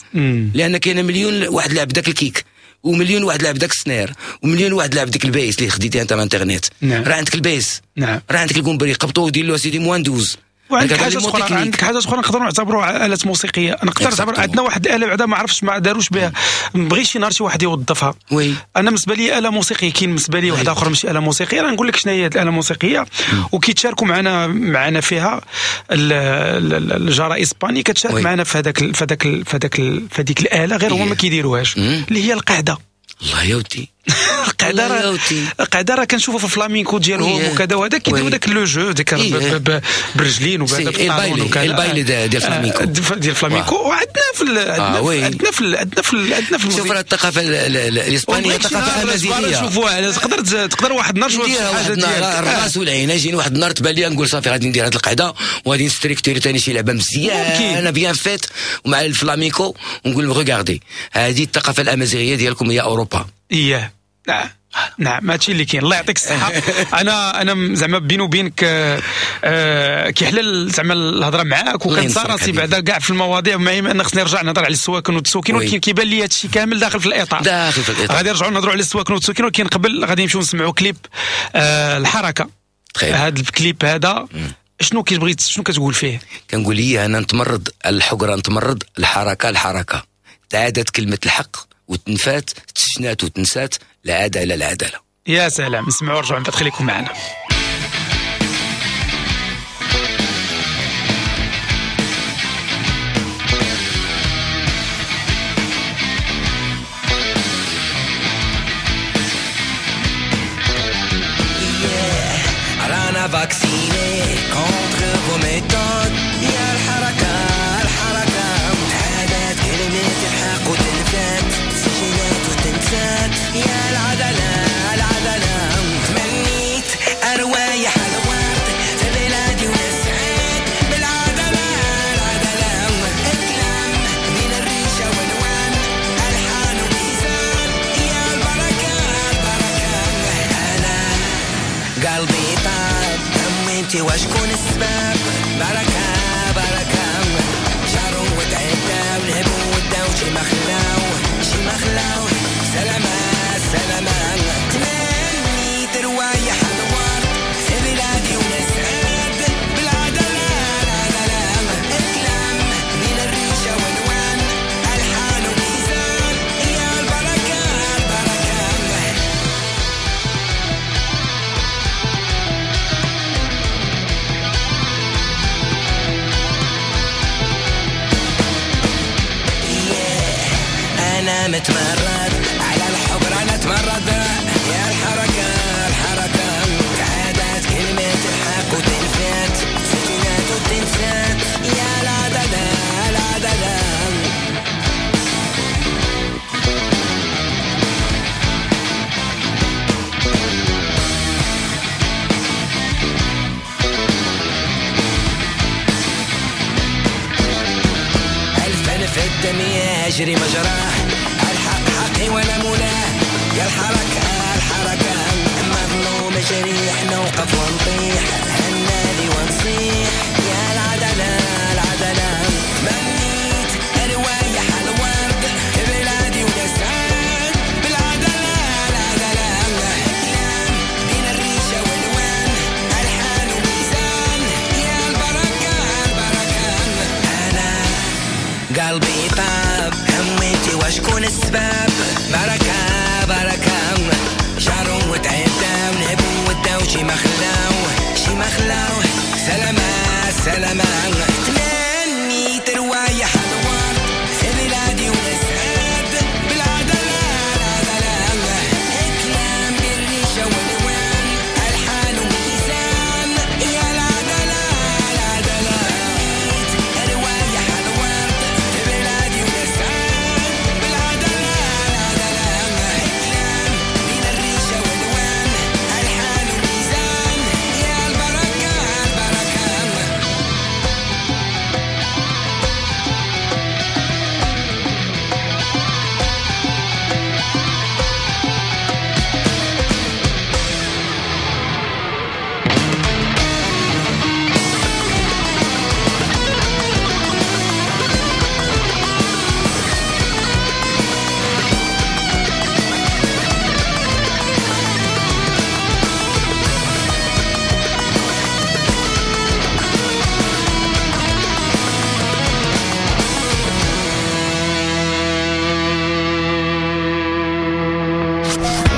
لان كاين مليون واحد لعب داك ال kick، ومليون واحد لعب داك ال snare، ومليون واحد لعب ديك ال bass اللي خديتيها انت من الانترنت. نعم. راه عندك ال bass. نعم. راه عندك الكومبري، قبطوه ودير له سيدي moins 12. وعندك حاجة اخرى، عندك حاجة اخرى نقدروا نعتبروها آلات موسيقية. نقدر نعتبر عندنا واحد الاله بعدا ما عرفتش ما داروش بها، ما بغيتش شي نهار شي واحد يوظفها. oui. انا بالنسبة لي اله موسيقية، كاين بالنسبة لي واحدة اخرى ماشي اله موسيقية. راه نقول لك شنو هي الاله الموسيقية، وكيتشاركوا معنا فيها الجاره اسباني كتشارك معنا في هذاك في هذاك في هذاك في هذيك الاله، غير هما ما كيديروهاش، اللي هي القعدة. الله يا ودي. القعدة راه القعدة راه كنشوفوا في الفلامينكو ديالهم وكذا وهذا كيديروا داك le jeu ديك برجلين وبهذا بال talon وكذا، ال baile ديال الفلامينكو، ديال الفلامينكو. وعندنا في عندنا في عندنا في عندنا في شوف راه الثقافة الاسبانية ثقافة امازيغيه. شوفوها تقدر واحد النهار تشوف حاجة ديالك الراس والعين. يجيني واحد النهار تبان لي نقول صافي غادي ندير هذه القعدة وغادي نستريكتوري ثاني شي لعبه مزيانه bien faite ومع الفلامينكو، ونقول regardez هذه الثقافة الامازيغية ديالكم هي اوروبا. اييه نعم نعم، هادشي اللي كاين. الله يعطيك الصحة. انا زعما بيني وبينك كيحلل زعما الهضرة معاك، وكنسى راسي بعدا كاع في المواضيع، مع ان خصني نرجع نهضر على السواكن والتسوكين، ولكن كيبان لي هادشي كامل داخل في الاطار، داخل في الاطار. غادي نرجعوا نهضروا على السواكن والتسوكين، ولكن قبل غادي نمشيو نسمعوا كليب الحركة. هذا الكليب هذا شنو كتبغي، شنو كتقول فيه؟ كنقول لي انا نتمرد الحقره، نتمرد الحركة، الحركة تعادت كلمة الحق وتنفات، تشنات وتنسات، العدالة العدالة. يا سلام. نسمعوا ورجعوا من بعد، خليكم معنا. رانا vaccinés contre vos méthodes. يا الحركة الحركة تعادت كلمة الحق وتنفات، سجنات وتنسات. يا العدالة العدالة تمنيت أروايح الورد في بلادي ونسعد بالعدالة العدالة. الكلام بين الريشة والوان، ألحان وميزان. يا البركة البركة أنا قلبي طاب، أمي وشكون السبب؟ بركة بركة جاروا وتعداو، نهبوا وداو، شي ما خلاو شي ما خلاو. سلامة سلامة تمنيت روايح الورد في بلادي ونسعد بالعدالة العدالة. الكلام بين الريشة والوان، ألحان وميزان. يا البركة البركة. أنا متمرد على الحجرة، أنا اتمرد. يا الحركة الحركة تعادت كلمة الحق وتنفات، سجنات وتنسات. يا العدالة العدالة. الفن في الدم يجري مجراه، الحق حقي ولا مولاه. يا الحركة الحركة. الحركة، مظلوم جريح نوقف ونطيح، هنادي ونصيح يا العدالة العدالة. تمنيت روايح الورد بلادي ونسعد بالعدالة العدالة. كلام بين الريشة والوان، ألحان وميزان يا البركة البركة. أنا قلبي طاب هميتي وشكون السباب، بركة بركة جارو وتعداو نهبو وداو شي ما خلاو شي ما خلاو، سلامة سلامة. تمنيت روايح الورد في بلادي ونسعد بالعدالة العدالة. كلام بالريشة والوان، ألحان وميزان يا العدالة العدالة. تمنيت روايح الورد في بلادي ونسعد بالعدالة العدالة. كلام بين الريشة والوان، ألحان وميزان يا البركة البركة.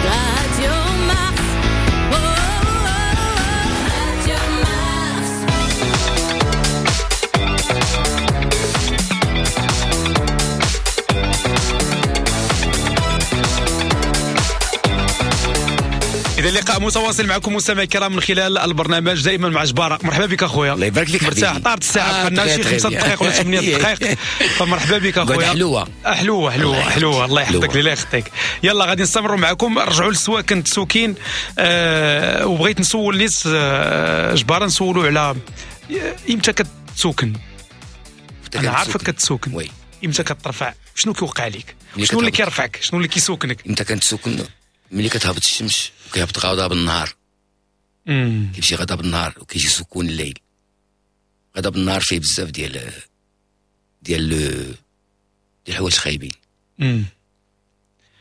Radio Mars. Oh, oh, oh, Radio Mars. اذا اللقاء متواصل معكم مستمعي الكرام من خلال البرنامج دائما مع جبارة. مرحبا بك اخويا. الله يبارك فيك مرتاح حبيبي. طارت الساعة، بقى لنا شي très 5 bien. دقائق ولا 8 دقائق، فمرحبا بك قعد اخويا. حلوة. حلوة حلوة الله حلوة، الله يحفظك حلوة. الله يخطيك. يلا غادي نستمروا معكم. رجعوا للسواكن السوكين. وبغيت نسول نيس جبارة، نسولوا على امتى كتسوكن. انا عارفك كتسوكن، oui. امتى كترفع، شنو كيوقع لك، ملي شنو اللي كتهبط. كيرفعك، شنو اللي كيسوكنك؟ امتى كنتسوكن؟ ملي كتهبط الشمس وكيهبط غضب النهار، كيمشي غضب النهار وكيجي سكون الليل. غضب النهار فيه بزاف ديال ديال ديال الحوايج خايبين،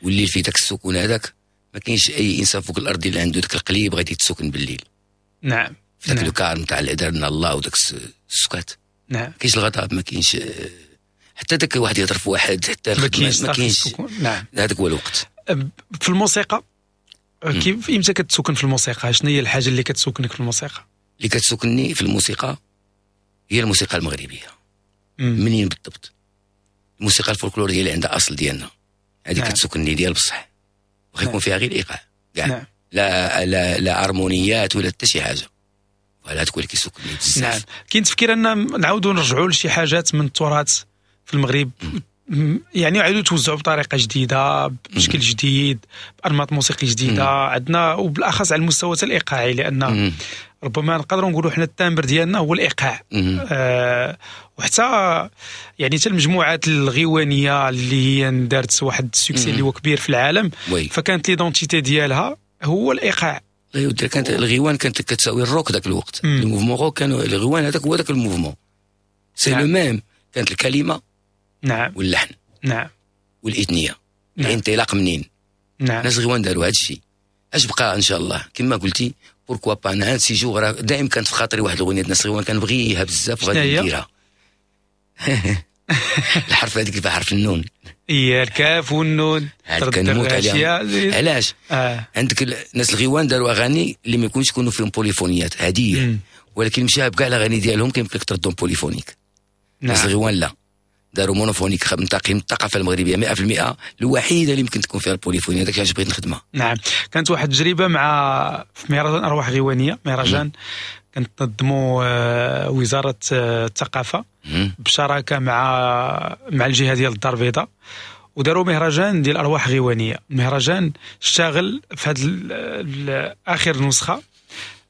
والليل فيه داك السكون هذاك. ما كاينش اي انسان فوق الارض اللي عنده داك القليب غادي يتسكن بالليل. نعم في داك نعم. le calme تاع اللي دارنا الله وداك السكات. نعم ما كاينش الغضب، ما كاينش حتى داك واحد يهضر في واحد، حتى ما كاينش ما كاينش. السكون. نعم هذاك هو الوقت. في الموسيقى كيف امتى كتسكن في الموسيقى؟ شنو هي الحاجة اللي كتسكنك في الموسيقى؟ اللي كتسكنني في الموسيقى هي الموسيقى المغربية. منين بالضبط؟ الموسيقى الفولكلوريه اللي عندها اصل ديالنا، هذه نعم. كتسكنني ديال بصح، واخا يكون نعم. فيها غير الايقاع كاع. نعم. لا لا لا هارمونيات ولا حتى شي حاجة، voilà هذاك هو اللي كيسكنني بزاف. نعم. كاين تفكير ان نعاودوا نرجعوا لشي حاجات من التراث في المغرب، يعني يعاودوا توزعوا بطريقة جديدة، بشكل جديد، بانماط موسيقي جديدة عندنا، وبالاخص على المستوى الايقاعي، لان ربما نقدروا نقولوا حنا ال timbre ديالنا هو الايقاع. وحتى يعني حتى المجموعات الغيوانيه اللي هي دارت واحد ال succès اللي هو كبير في العالم، oui. فكانت l'identité ديالها هو الايقاع. لا يا كانت الغيوان كانت كتساوي الروك ذاك الوقت. ال mouvement rock كانوا الغيوان هذاك هو ذاك ال mouvement c'est le même. كانت الكلمة نعم واللحن نعم والاثنيه. نعم. الانطلاق منين؟ نعم. الناس الغيوان داروا هذا الشيء. اش بقى ان شاء الله كما قلتي pourquoi pas. انا un de ces jours دائما كانت في خاطري واحد الاغنية الناس الغيوان كنبغيها بزاف وغادي نديرها. الحرف هذيك اللي حرف النون، هي الكاف والنون، كنموت عليها. علاش؟ عندك الناس الغيوان داروا اغاني اللي ما يكونش يكونوا فيهم بوليفونيات عادية، ولكن مشى بكاع الاغاني ديالهم كيمكن لك تردهم polyphonique. الناس الغيوان لا، داروا monophonique منتقي من الثقافة المغربية 100%، الوحيدة اللي يمكن تكون فيها ال polyphonie. هذاك علاش بغيت نخدمها. نعم. كانت واحد التجربة مع في مهرجان ارواح غيوانيه، مهرجان كانت تنظموا وزارة الثقافة بشراكه مع الجهة ديال الدار البيضاء، وداروا مهرجان ديال ارواح غيوانيه. المهرجان اشتغل في هذه اخر نسخه،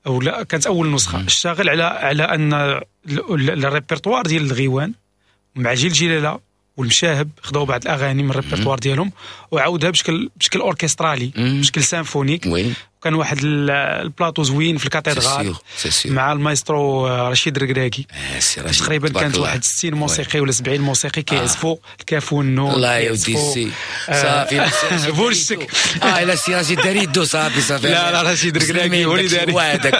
او لا كانت اول نسخه، اشتغل على ان الريبرتوار ديال الغيوان مع جيل جلاله والمشاهب، خداو بعض الاغاني من الريبرتوار ديالهم وعاودها بشكل orchestral، بشكل symphonique. كان واحد البلاطو زوين في ال cathédrale مع المايسترو رشيد الركراكي. تقريبا كانت واحد 60 موسيقي ولا 70 موسيقي كيعزفوا الكاف والنون. الله يا ودي سي صافي بولشك. لا سي رشيد دار يدو صافي صافي. لا لا رشيد الركراكي هو اللي دار.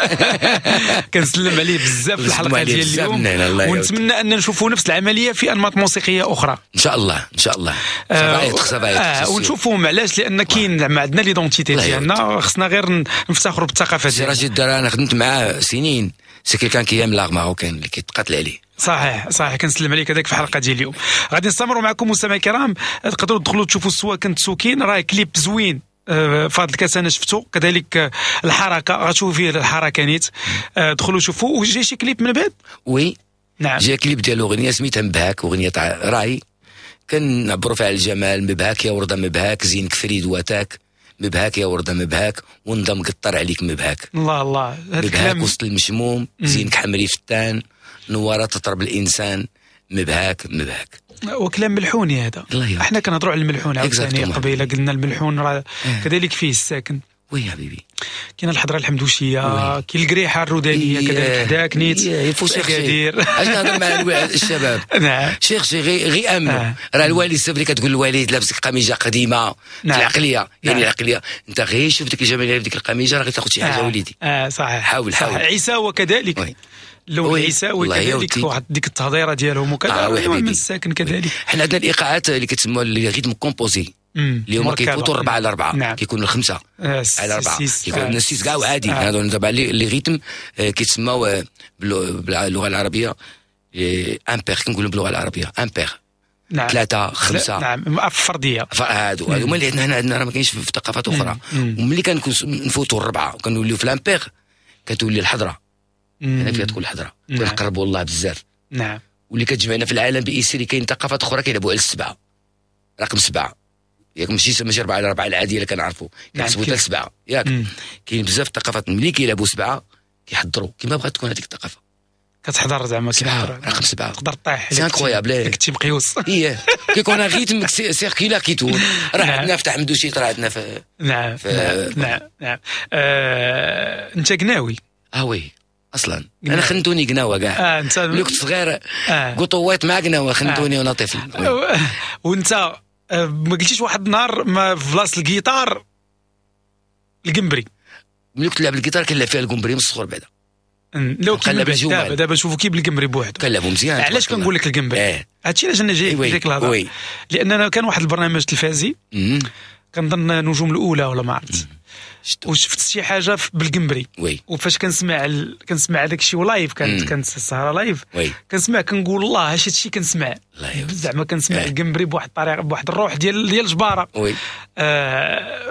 كنسلم عليه بزاف في الحلقة ديال اليوم، ونتمنى ان نشوفوا نفس العملية في انماط موسيقية اخرى ان شاء الله. ان شاء الله ونشوفوهم. علاش؟ لان كاين زعما عندنا l'identité ديالنا، خصنا غير نفتخروا بالثقافة ديالنا. سي رشيد انا خدمت معاه سنين، c'est quelqu'un qui aime l'art marocain اللي كيتقاتل عليه. صحيح صحيح، كنسلم عليك هذاك في الحلقة ديال اليوم. غادي نستمروا معكم مستمعي الكرام، تقدروا تدخلوا تشوفوا السواكن تسوكين، راه كليب زوين فهاد الكاس انا شفتو، كذلك الحركة غتشوفوا فيه الحركة نيت. دخلوا شوفوا. وجاي شي كليب من بعد؟ oui نعم، جا كليب ديال اغنية سميتها مبهاك، اغنية تاع راي كنعبروا فيها على الجمال. مبهاك يا ورده مبهاك، زينك فريد واتاك، مبهاك يا ورده مبهاك، ونضم قطر عليك مبهاك. الله الله، هذا الكلام وسط المشموم، زينك حمري فتان، نواره تطرب الانسان، مبهاك مبهاك. وكلام ملحوني هذا. احنا كنهضروا على الملحون عاوتاني قبيلة، قلنا الملحون راه كذلك فيه الساكن. oui حبيبي، كاين الحضرة الحمدوشيه، كاين القريحه الرودانيه كذلك حداك نيت. كدير اش نهضر مع الشباب؟ نعم cherchez غي امنوا. راه الوالد السفري كتقول الوالد لابس قميجه قديمة. في العقلية يعني العقلية انت غير شوف ديك الجمالية في ديك القميجه راه غتاخذ شي حاجة وليدي. صحيح. حاول حاول. عيساوه كذلك، اللون العيساوي كذلك واحد ديك التهضيره ديالهم وكذا من الساكن كذلك. حنا عندنا الايقاعات اللي كتسموا les rythmes composés اللي هما كيفوتوا 4 على 4، كيكونوا 5 على 4، كيكونوا 6 كاع عادي. هادو دابا les rythmes كيتسموا باللغة العربية impair، كنقولوا باللغة العربية impair. نعم. 3 5. نعم فردية. هادو هما اللي عندنا هنا، عندنا راه ما كاينش في ثقافات اخرى. وملي كنفوتوا 4 وكنوليو في l'impair كتولي الحضرة. هنا فيها تكون الحضرة. كنقربوا الله بزاف. نعم. واللي كتجمعنا في العالم بإسري كاين ثقافات اخرى كيلعبوا على 7، رقم 7 ياك، ماشي 4 على 4 العادية اللي كنعرفوا، كنحسبوا حتى 7 ياك. كاين بزاف الثقافات ملي كيلعبوا 7 كيحضروا كما بغات تكون هذيك الثقافة. كتحضر زعما كيحضر رقم 7 تقدر طيح. c'est incroyable كنتي مقيوس. ايه كيكون rythme circulaire qui tourne. راه عندنا في تحمدوشي، راه عندنا في. نعم نعم نعم. انت قناوي؟ oui اصلا انا خنتوني قناوه كاع. انت ملي كنت صغير قطوات مع قناوه خنتوني وانا طفل. وانت ما قلتيش واحد النهار ما في بلاصة الجيتار القنبري؟ ملي كنت نلعب الجيتار كنلعب فيها القنبري من الصغر بعدا. لو كنلعب دابا نشوفوا كيف بالقنبري بوحدو كنلعبوا مزيان. علاش كنقول لك القنبري؟ هادشي علاش انا جاي ديك الهضرة، لان انا كان واحد البرنامج تلفازي كنظن نجوم الاولى ولا ما عرفت، وشفت شي حاجة بالقنبري. وفاش كنسمع كنسمع داك الشيء live، كانت السهرة live، كنسمع كنقول الله اش هادشي كنسمع زعما، كنسمع القنبري بواحد الطريقة، بواحد الروح ديال الجبارة.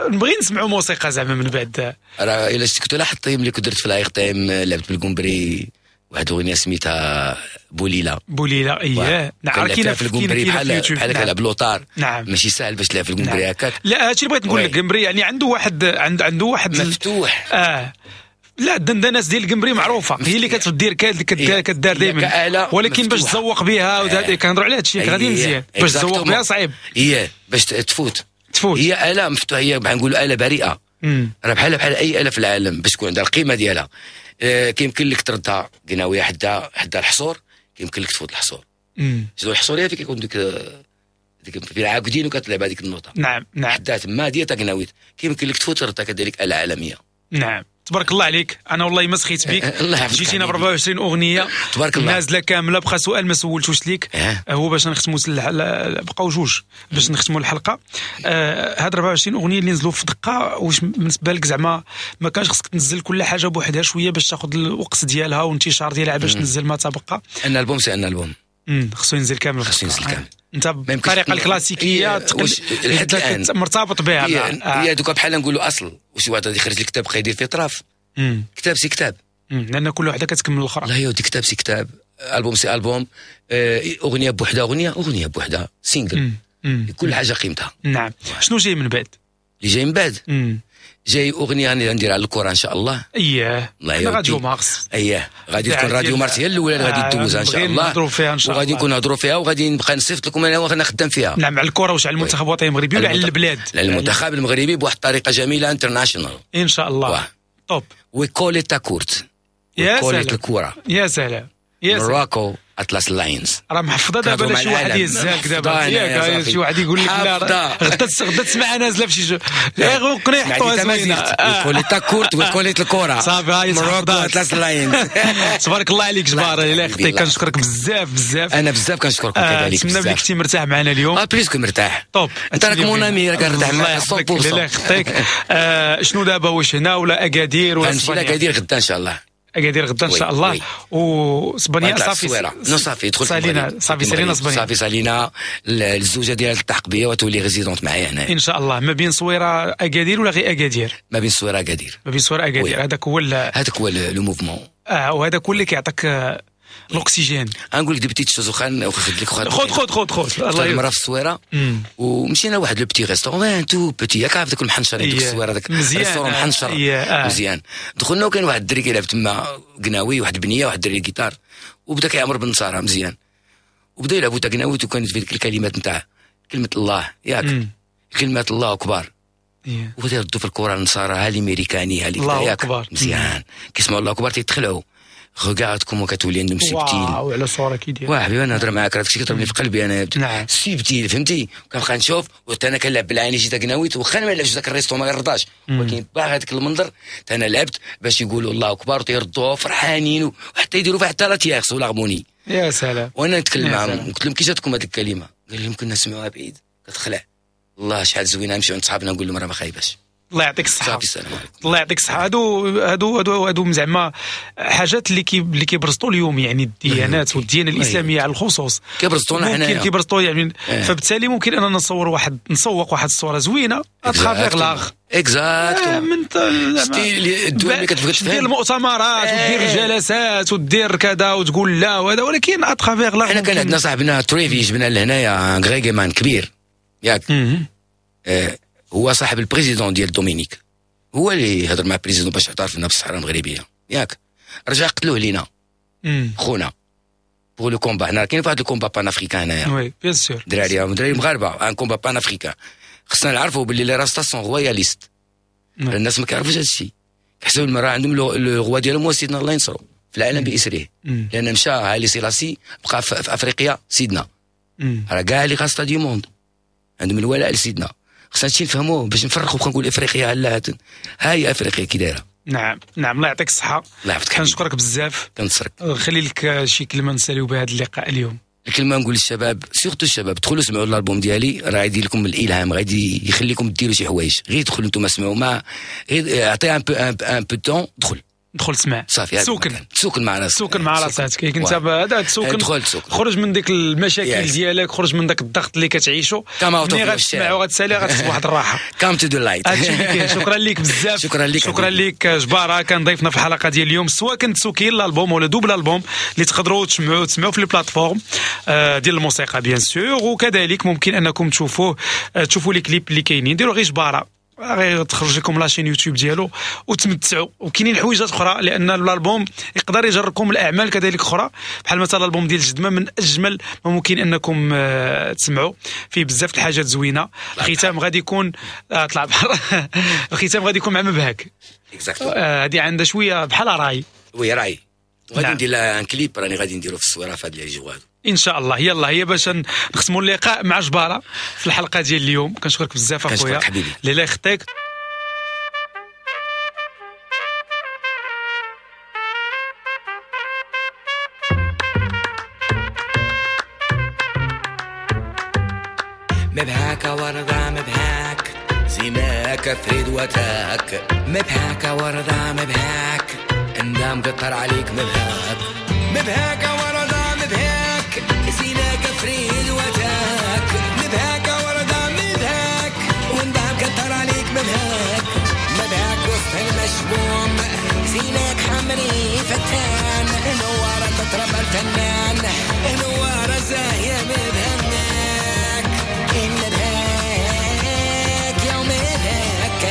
نبغي نسمعوا موسيقى زعما من بعد. راه الا شفت كنت لاحظت ملي كنت درت في العيق تايم لعبت بالقنبري واحد الاغنية سميتها بوليله. بوليله اييه نعم، كاينه في القنبري بحال كنلعب لوطار. نعم. ماشي ساهل باش تلعب في القنبري هكاك. لا هادشي اللي بغيت نقول لك، القنبري يعني عنده واحد عنده واحد مفتوح. لا الدندنات ديال القنبري معروفة، هي اللي كتدير كدار دائما، ولكن باش تزوق بها كنهضروا على هادشي غادي مزيان، باش تزوق بها صعيب. هي باش تفوت هي آلة مفتوحة، هي بحال نقولوا آلة بريئة. راه بحال اي آلة في العالم باش تكون عندها القيمة ديالها. كيمكن لك تردها قناويه حدا الحصور، كيمكن لك تفوت الحصور. شنو الحصور؟ هي فين كيكون ديك في العاقدين وكتلعب هذيك النوطه. نعم نعم. حدا تما ديال قناويت كيمكن لك تفوت تردها كذلك آلة عالمية. نعم تبارك الله عليك، انا والله ما سخيت بك. جيتينا ب 24 اغنية تبارك الله نازله كاملة. بقى سؤال ما سولتوش ليك، هو باش نختموا بقاو جوج باش نختموا الحلقة. هاد 24 اغنية اللي نزلوا في دقه، واش بالنسبة لك زعما ما كانش خصك تنزل كل حاجة بوحدها شوية باش تاخذ الوقت ديالها وانتشار ديالها باش تنزل ما تبقى؟ un album c'est un album خصو ينزل كامل، خصو ينزل كامل. انت بالطريقة الكلاسيكية مرتبط بها. هي دوكا بحال نقولوا اصل، وشي واحد غادي يخرج الكتاب بقى يدير فيه طرف. كتاب c'est كتاب، لان كل وحده كتكمل الاخرى. لا يا ودي، كتاب c'est كتاب، album c'est album، اغنية بوحدها، اغنية بوحدها، single، كل حاجة قيمتها. نعم. شنو جاي من بعد؟ اللي جاي من بعد جاي اغنية غندير على الكره ان شاء الله. اييه الله راديو مارس. اييه غادي تكون راديو مارس هي الاولى اللي غادي دوزها ان شاء الله. نهضروا فيها ان شاء الله وغادي نكون نهضروا فيها وغادي نبقى نصيفط لكم انا وانا خدام فيها. نعم على الكره واش على المنتخب الوطني المغربي ولا على البلاد؟ على المنتخب المغربي بواحد الطريقة جميلة international ان شاء الله. top we call it تاكورت. يا سلام الكره. يا سلام يا سلام. Morocco Atlas Lions راه محفظة دابا شي واحد يهزها دابا ياك شي واحد يقول لك لا غدا غدا تسمع نازله في شي غير وقني يحطوها زوينة. we call it تاكورت we call it الكره صافي هاي Morocco Atlas Lions. تبارك الله عليك جبار الله يخطيك. كنشكرك بزاف بزاف. انا بزاف كنشكركم كذلك. نتمنى بلي كنتي مرتاح معنا اليوم. plus que مرتاح. top انت راك mon ami راك مرتاح معايا 100%. الله يخطيك. شنو دابا واش هنا ولا اكادير ولا غنمشي لاكادير غدا ان شاء الله. اكادير غدا ان شاء الله. واسبانيا صافي non صافي دخلت سالينا صافي سالينا اسبانيا صافي سالينا. الزوجة ديالها تلتحق بيا وتولي résidente معايا هنا ان شاء الله. ما بين صويره اكادير ولا غير اكادير؟ ما بين صويره اكادير. ما بين صويره اكادير هذاك هو هذاك هو le mouvement. وهذاك هو اللي كيعطيك الاكسجين. غنقول لك des petites choses واخا ناخذ لك خذ خذ خذ خذ. الله مرة في الصويره ومشينا لواحد le petit restaurant tout petit ياك عارف داك المحنشر ديك الصويره داك restaurant محنشر مزيان. دخلنا وكان واحد الدري كيلعب تما قناوي واحد البنية واحد الدري الجيتار وبدا كيعمر بالنصارى مزيان وبدا يلعبوا تا قناوي وكانت في ديك الكلمات نتاع كلمة الله ياك كلمة الله اكبر وبدا يردوا في الكره النصارى ها الامريكاني ها الله اكبر مزيان. كيسمعوا الله اكبر تيتخلعوا. regarde comment كتولي عندهم subtil. واو على صوره كي داير. واه حبيبي انا نهضر معاك راه داكشي كيضربني في قلبي انا. نعم subtil فهمتي. كنبقى نشوف وحتى انا كنلعب بالعاني جيت قناويت واخا ما نلعبش ذاك ال resto ما يرضاش ولكن باغي هذاك المنظر انا لعبت باش يقولوا الله اكبر وتيردوها فرحانين وحتى يديروا فيها حتى la tierce ولا l'harmonie. يا سلام. وانا نتكلم معاهم قلت لهم كي جاتكم هذيك الكلمة؟ قال لهم كنا نسمعوها بعيد كتخلع. الله شحال زوينة. نمشيو عند صحابنا نقول لهم راه ما خايباش. الله يعطيك الصحة. السلام عليكم. الله يعطيك الصحة. هادو هادو هادو هادو زعما حاجات اللي كيبرزطوا اليوم يعني الديانات والديانة الإسلامية على الخصوص كيبرزطونا حنايا ممكن كيبرزطوا يعني. فبالتالي ممكن أننا نصور واحد نسوق واحد الصورة زوينة à travers l'art exact من الدول اللي كتبغي تفهم دير المؤتمرات ودير الجلسات ودير كذا وتقول لا وهذا ولكن à travers l'art. حنا كان عندنا صاحبنا تريفي جبنا لهنايا reggae man كبير ياك هو صاحب ال président ديال دومينيك هو اللي هضر مع ال président باش اعترف لنا بالصحراء المغربية ياك. رجع قتلوه لينا خونا pour le combat. حنا كاين واحد ال combat panafricain هنايا. oui bien sûr دراري مغاربة un combat panafricain. خصنا نعرفوا باللي les rastas sont royalistes. الناس ما كيعرفوش هذا الشيء كيحسبوا المراة عندهم le roi ديالهم هو سيدنا الله ينصرو في العالم باسره لان مشى هايلي سيلاسي بقى في افريقيا سيدنا. راه كاع les rastas du monde عندهم الولاء لسيدنا. خصنا هادشي نفهموه باش نفرقوا بقى نقول افريقيا لا هاي افريقيا كي دايرة. نعم نعم الله يعطيك الصحة. الله يحفظك. كنشكرك بزاف. كنشكرك. خلي لك شي كلمة نساليو بها هذا اللقاء اليوم. الكلمة نقول للشباب surtout الشباب دخلوا سمعوا الالبوم ديالي راه غادي لكم الالهام غادي يخليكم ديروا شي حوايج. غير دخلوا نتوما سمعوا ما غير عطية un peu temps دخل دخل تسمع صافي سوكن تسوكن مع راسك سوكن مع راسك كي كنت هذا تسوكن خرج من ديك المشاكل ديالك خرج من داك الضغط اللي كتعيشو ملي غتسمع وغتسالي غتحس بواحد الراحة. come to the light. هادشي اللي كاين. شكرا لك بزاف. شكرا لك. شكرا لك جبارة كان ضيفنا في الحلقة ديال اليوم سواء كنت سوكين الالبوم ولا double album اللي تقدروا تسمعوا في les plateformes ديال الموسيقى bien sûr وكذلك ممكن انكم تشوفوه تشوفوا les clips اللي كاينين. ديروا غير جبارة غير تخرج لكم la chaîne YouTube ديالو وتمتعوا. وكاينين حويجات اخرى لان الالبوم يقدر يجركم الاعمال كذلك اخرى بحال مثلا الالبوم ديال الجدمه من اجمل ما ممكن انكم تسمعوا فيه بزاف الحاجات زوينة. الختام غادي يكون طلع بحال الختام غادي يكون مع مبهك هذه عندها شوية بحال راي oui راي غادي ندير لها un clip راني غادي نديرو في الصويره في هاد les jours هادو ان شاء الله. يلا هي باش نختموا اللقاء مع جبارة في الحلقة ديال اليوم. كنشكرك بزاف اخويا ليلى يخطيك. مبهاك ورضا مبهاك زيناك فريد وتاك مبهاك ورضا مبهاك اندام قطر عليك مبهاك مبهاك ورضا مبهاك زيناك فريد وتاك مبهاك ورضا مبهاك وندام قطر عليك مبهاك مبهاك وسط المشموم زيناك حمري فتان نوارة تطرب الفنان نوارة زاهية مبهناك مبهاك يوم مبهاك.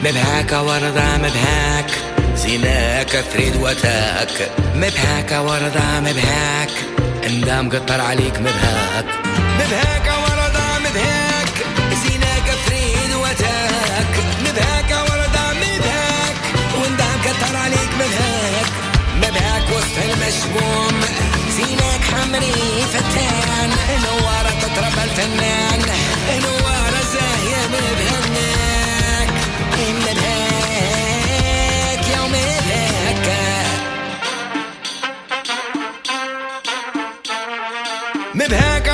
مبهاك ورضا مبهاك، زيناك فريد وتاك. مبهاك ورضا مبهاك، اندام قطر عليك مبهاك. مبهاك ورضا مبهاك، زيناك فريد وتاك. مبهاك ورضا مبهاك، واندام قطر عليك مبهاك. مبهاك وسط المشموم، زيناك حمري فتان. نوارة تطرب الفنان، نوارة زاهية مبهناك. مبهاك يا مبهاك. مبهاك